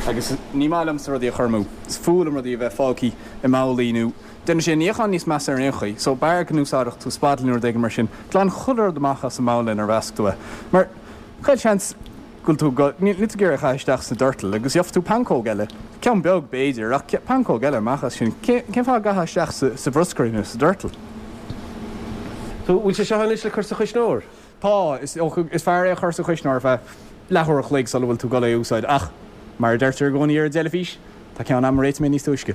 S6: Agus ní maith liomsa rudaí a chur amú. Is fuath liom rudaí a bheith fágtha i mbabhlaí nó déanann sé an níochán níos measa ar aon chaoi. So b'fhearr go n-úsáidfeadh tú spatula nó rud éigin mar sin. Glan chuile rud amach as an mbabhla inar mheasc tú é. Mar chaon seans go bhfuil tú go, níl tú ag iarraidh a chaitheamh isteach sna doirtil agus gheobhaidh tú pancóg eile, ceann beag b'fhéidir, ach pancóg eile amach as sin. Cén fáth a gcaithfeá isteach sa, sa bhruscar é nó sa doirteal?
S7: So bhfuil sé seo anois le cur sa chuisneoir?
S6: Tá, is, is fearr é a chur sa chuisneoir ar feadh leathuair a chloig sula bhfuil tú ag dul é a úsáid ach, mar a deirtear i gcónaí ar an dteilifís, tá ceann a'm a réiteoidh mé níos túisce.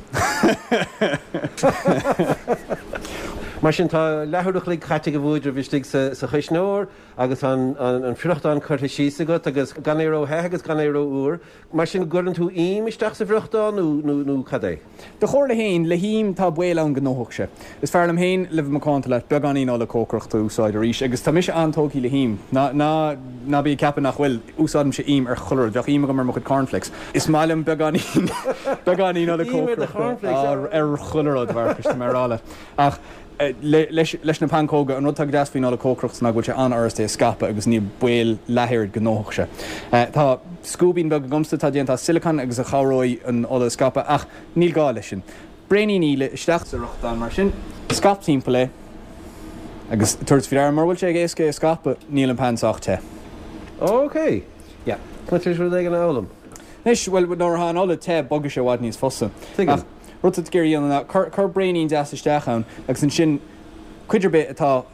S7: Mar sin, tá leathuair a chloig caite ag an bhuaidreamh istigh sa chuisneoir agus an friochtán curtha síos agat agus gan é ró-the agus gan é ró-fhuar. Mar sin, gcuireann tú im isteach sa bhfriochtán nó cad é?
S6: Do chomhairle féin, le him tá baol ann go ndófadh sé. Is fearr liom féin, le bheith macánta leat, beagáinín ola cócaireachta a úsáid arís agus tá mise an-tógtha le him. Ná, ná, ná bí ag ceapadh nach bhfuil. Úsáidimse im ar chuile rud. Bheadh im agam ar mo chuid cornflakes. Is maith liom beagáinín, beagáinín ola cócaireachta ar chuile rud, a Mharcais, tá mé a rá leat. Ach leis, leis na pancóga, an rud atá go deas faoin ola cócaireachta ná go bhfuil sé an-fhurast é a scaipeadh agus níl baol leath oiread go ndófadh sé. Tá scuaibín beag agamsa atá déanta as sileacán agus a chabhróidh an ola a scaipeadh ach níl gá leis sin. Braoinín íle isteach sa fhriochtán mar sin, scaip timpeall é agus tabhair faoi deara mura bhfuil sé éasca é a scaipeadh, níl an pan sách te.
S7: Ok.
S6: Yeah.
S7: Tá mé tar éis rud éigin a fhoghlaim.
S6: Anois, bhuel, nuair atá an ola te, bogfaidh sé i bhfad níos fusa.
S7: Tuigim.
S6: Ach rud atá tú ag iarraidh a dhéanamh ná cuir, cuir braoinín deas isteach ann agus ansin cuid ar bith atá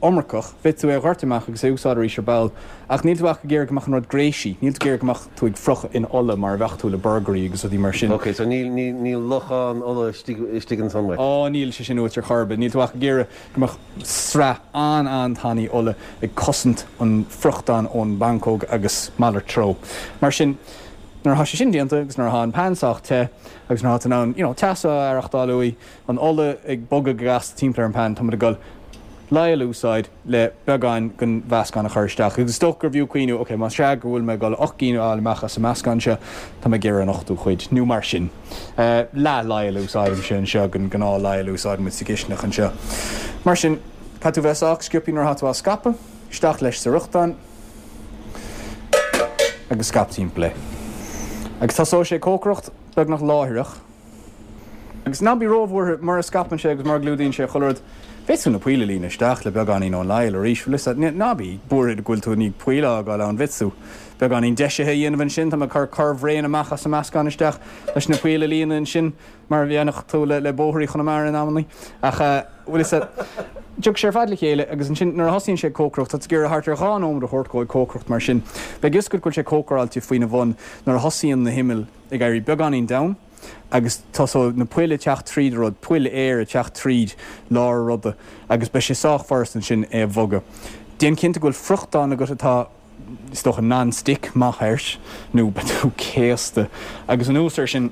S6: iomarcach, féadfaidh tú é a dhoirteadh amach agus é a úsáid arís ar ball. Ach níl tú ach ag iarraidh go mbeadh an rud gréisí, níl tú ag iarraidh go mbeadh tú ag friochadh in ola mar a bheadh tú le burgairí agus rudaí mar sin.
S7: Ok, so níl, níl, níl lochán ola istigh, istigh ansan uait?
S6: Ó, níl sé sin uait ar chor ar bith. Níl tú ach ag iarraidh go mbeadh sraith an-an-tanaí ola ag cosaint an friochtán ón bpancóg agus malairt treo. Mar sin, nuair atá sé sin déanta agus nuair atá an pan sách te agus nuair atá tú in ann, you know, teas a aireachtáil uaidh, an ola ag bogadh go gasta timpeall ar an pan, tá muid ag dul leidhil a úsáid le beagán den mheascán a chur isteach. Agus is dócha gurbh fhiú cuimhniú, ok, más ea go bhfuil mé ag dul ocht gcinn a fháil amach as an meascán seo, tá mé ag iarraidh an ochtú cuid, nó mar sin. Leath leidhil a úsáidimse anseo den ghnáth leidhil a úsáideann muid sa gcistineach anseo. Mar sin, caithfidh tú bheith sách sciobtha nuair atá tú á scaipeadh, isteach leis sa fhriochtán agus scaip timpeall é. Agus tosóidh sé ag cócaireacht beagnach láithreach. Agus ná bí róbhuartha, mura scaipeann sé agus mura gclúdaíonn sé chuile rud, féadfaidh tú na poill a líonadh isteach le beagáinín ón leidhil arís, bhfuil 'fhios a'd. Ná bí buartha go bhfuil tú i ndiaidh poill a fhágáil ann, féadfaidh tú beagáinín deisithe a dhéanamh ansin, tá mé ag cur corr-bhraon amach as an meascán isteach leis na poill a líonadh ansin, mar a dhéanfadh tú le bóithrí Chonamara in amannaí. Ach bhfuil 'fhios a'd, tiocfaidh sé ar fad le chéile agus ansin nuair a thosaíonn sé ag cócaireacht, tá tú ag iarraidh thart ar dhá nóiméad a thabhairt dhó ag cócaireacht mar sin. Beidh 'fhios agat go bhfuil sé cócaráilte faoina bhun nuair a thosaíonn na himill ag éirí beagáinín donn. agus tosóidh na poill ag teacht tríd an rud, poill aeir ag teacht tríd lár an ruda agus beidh sé sách furast ansin é a bhogadh. Déan cinnte go bhfuil friochtán agat atá, is dócha, non-stick maith air nó beidh tú céasta. Agus anuas air sin,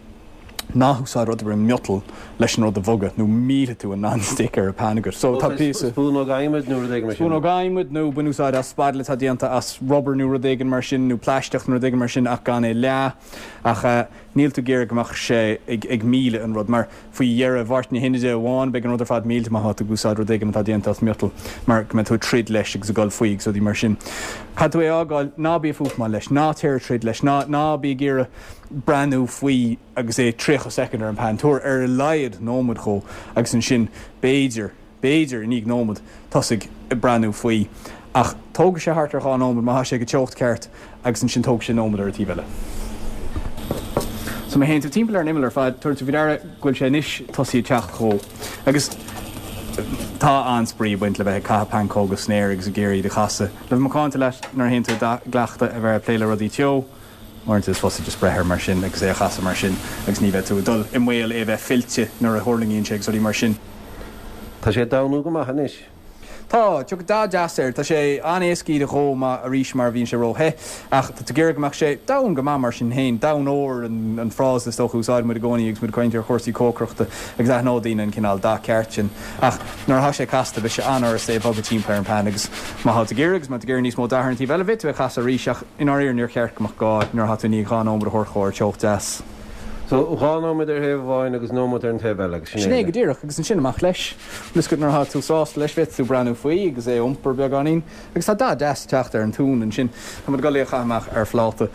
S6: ná húsáid rud ar bith miotail leis an rud a bhogadh nó millfidh tú an non-stick ar an pan agat. So tá píosa.
S7: Spúnóg adhmaid nó rud éigin mar sin.
S6: Spúnóg adhmaid nó bain úsáid as spatula atá déanta as rubber nó rud éigin mar sin nó plaisteach nó rud éigin mar sin ach gan é leá. Ach níl tú ag iarraidh go mbeadh sé ag milleadh an rud, mar faoi dheireadh Mháirt na hInide amháin beidh an rud ar fad millte má tá tú ag úsáid rud éigin atá déanta as miotal, mar go mbeidh tú ag troid leis agus ag dul faoi agus rudaí mar sin. Caithfidh tú é a fhágáil, ná bí ag fuafmáil leis, ná téir ag troid leis, ná ná bí ag iarraidh breathnú faoi agus é tríocha soicind ar an pan, tabhair ar a laghad nóiméad dhó agus ansin b'fhéidir, b'fhéidir, i ndiaidh nóiméad, tosaigh ag breathnú faoi. Ach tógfaidh sé thart ar dhá nóiméad má tá sé ag an teocht ceart agus ansin tógfaidh sé nóiméad ar an taobh eile. So má théann tú timpeall ar an imeall ar fad, tabharfaidh tú faoi deara go bhfuil sé anois tosaithe ag teacht dhó. Agus tá an-spraoi ag baint le bheith ag caitheamh pancóga san aer agus ag iarraidh iad a chasadh. Le bheith macánta leat nuair a théann tú i gcleachtadh a bheith ag plé le rudaí teo, uaireanta is fusa just breith air mar sin agus é a chasadh mar sin agus ní bheidh tú ag dul i mbaol é a bheith fillte nuair a thuirlingíonn sé agus rudaí mar sin.
S7: Tá sé ag damnú go maith anois.
S6: Tá, tiocfaidh dath deas air. Tá sé an-éasca iad a dhó má, arís, mar bhíonn sé ró-the. Ach tá tú ag iarraidh go mbeadh sé donn go maith mar sin féin. Donn óir an frása is dócha a úsáideann muid i gcónaí agus muid ag caint ar chúrsaí cócaireachta agus aithneoidh daoine an cineál dath ceart sin. Ach nuair atá sé casta beidh sé an-fhurast é a bhogadh timpeall ar an pan agus má tá tú ag iarraidh agus má tá tú ag iarraidh níos mó dath ar an taobh eile, bhféadfadh tú é a chasadh arís ach i ndáiríre níor cheart go mbeadh gá nuair atá tú i ndiaidh dhá nóiméad a thabhairt dhó ar teocht deas.
S7: So, dhá nóiméad ar thaobh amháin agus nóiméad ar an taobh eile agus sin é.
S6: Sin é go díreach, agus ansin amach leis. Bhfuil 'fhios agat nuair atá tú sásta leis, bhféadfadh tú breathnú faoi agus é a iompar beagáinín. Agus tá dath deas ag teacht ar an t-uan ansin. Tá muid ag dul é a chaitheamh amach ar phláta.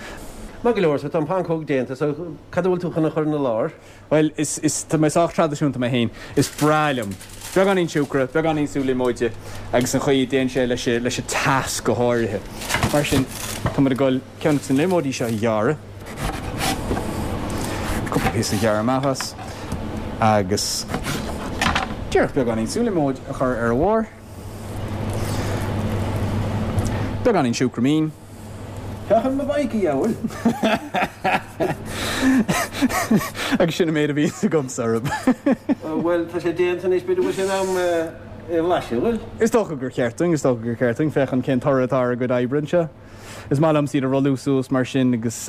S7: Maith go leor, so tá an pancóg déanta, so cad a bhfuil tú chun a chur ina lár?
S6: Bhuel, is, is, tá mé sách traidisiúnta mé féin, is breá liom beagáinín siúcra, beagáinín sú liomóide agus an chaoi a dtéann sé leis an, leis an teas go háirithe. Mar sin, tá muid ag dul ceann de na liomóidí seo a ghearradh, cúpla píosa a ghearradh amach as, agus díreach beagáinín sú liomóid a chur ar a bharr. Beagáinín siúcra mín.
S7: Féach ar mo bhike, a dheabhail!
S6: Agus sin an méid a bhíonns agamsa orthu.
S7: Bhuel, tá sé déanta anois, b'fhéidir go bhfuil sé in am é a bhlaiseadh, bhfuil?
S6: Is dócha gur cheart dúinn, is dócha gur cheart dúinn féachaint cén toradh atá ar ár gcuid oibre anseo. Is maith liomsa iad a rolladh suas mar sin agus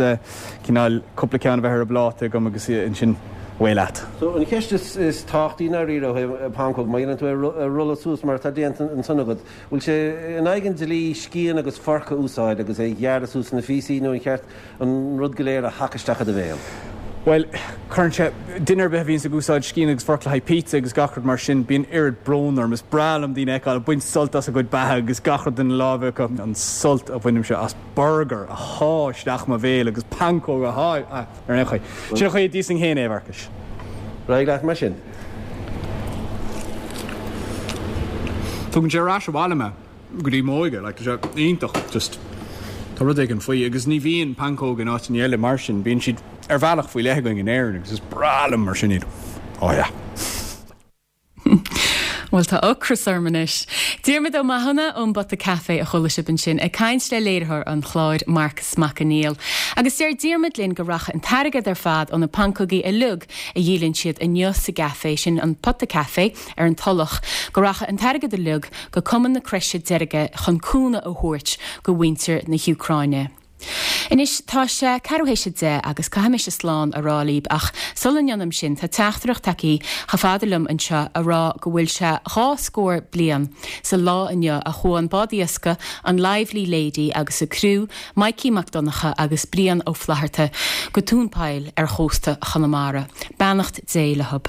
S6: cineál cúpla ceann a bheith ar an bpláta agam agus ansin away leat.
S7: So, an cheist is tábhachtaí i ndáiríre ó thaobh pancóg, má dhéanann tú é a rolladh suas mar atá déanta ansan agat, bhfuil sé in aghaidh an dlí scian agus forc a úsáid agus é a ghearradh suas ina phíosaí nó an cheart an rud go léir a shacadh isteach i do bhéal?
S6: Bhuel, cuireann sé, duine ar bith a bhíonns ag úsáid scian agus forc le haghaidh pizza agus gach rud mar sin, bíonn oiread brón orm. Is breá liom daoine a fheiceáil ag baint sult as a gcuid beatha agus gach rud ina láimhe acu. An sult a bhainimse as burgar a shá isteach i mo bhéal agus pancóg a shá, ah, ar aon chaoi. Sin an chaoi a d'íosfainn féin é, a Mharcais.
S7: Ar aghaidh leat mar sin.
S6: Tugann sé ar ais abhaile mé. go dtí m'óige, like, tá sé iontach, just tá rud éigin faoi agus ní bhíonn pancóg in áiteanna eile mar sin, bíonn siad ar bhealach faoi leith againn in Éirinn agus is breá liom mar sin iad. Oh yeah.
S1: Bhuel, tá ocras orm anois. Diarmuid Ó Mathúna ón bPota Caife a chuala sibh ansin ag caint le léiritheoir an chláir, Marcas Mac Conghail. Agus deir Diarmuid linn go rachaidh an t-airgead ar fad ó na pancógaí uilig a dhíolann siad inniu sa gcaifé sin, an Pota Caife ar an Tulach, go rachaidh an t-airgead uilig go Cumann na Croise Deirge chun cúnamh a thabhairt go mhuintir na hÚcráine. Anois tá sé ceathrú théis a deich agus caithfidh mise slán a rá libh ach sula ndéanaim sin tá teachtaireacht tagtha chomh fada liom anseo a rá go bhfuil sé dhá scór bliain sa lá inniu a chuaigh an bád iascaigh an Lively Lady agus a criú, Mikey Mac Donncha agus Brian Ó Flatharta, go tóin poill ar chósta Chonamara. Beannacht Dé leo.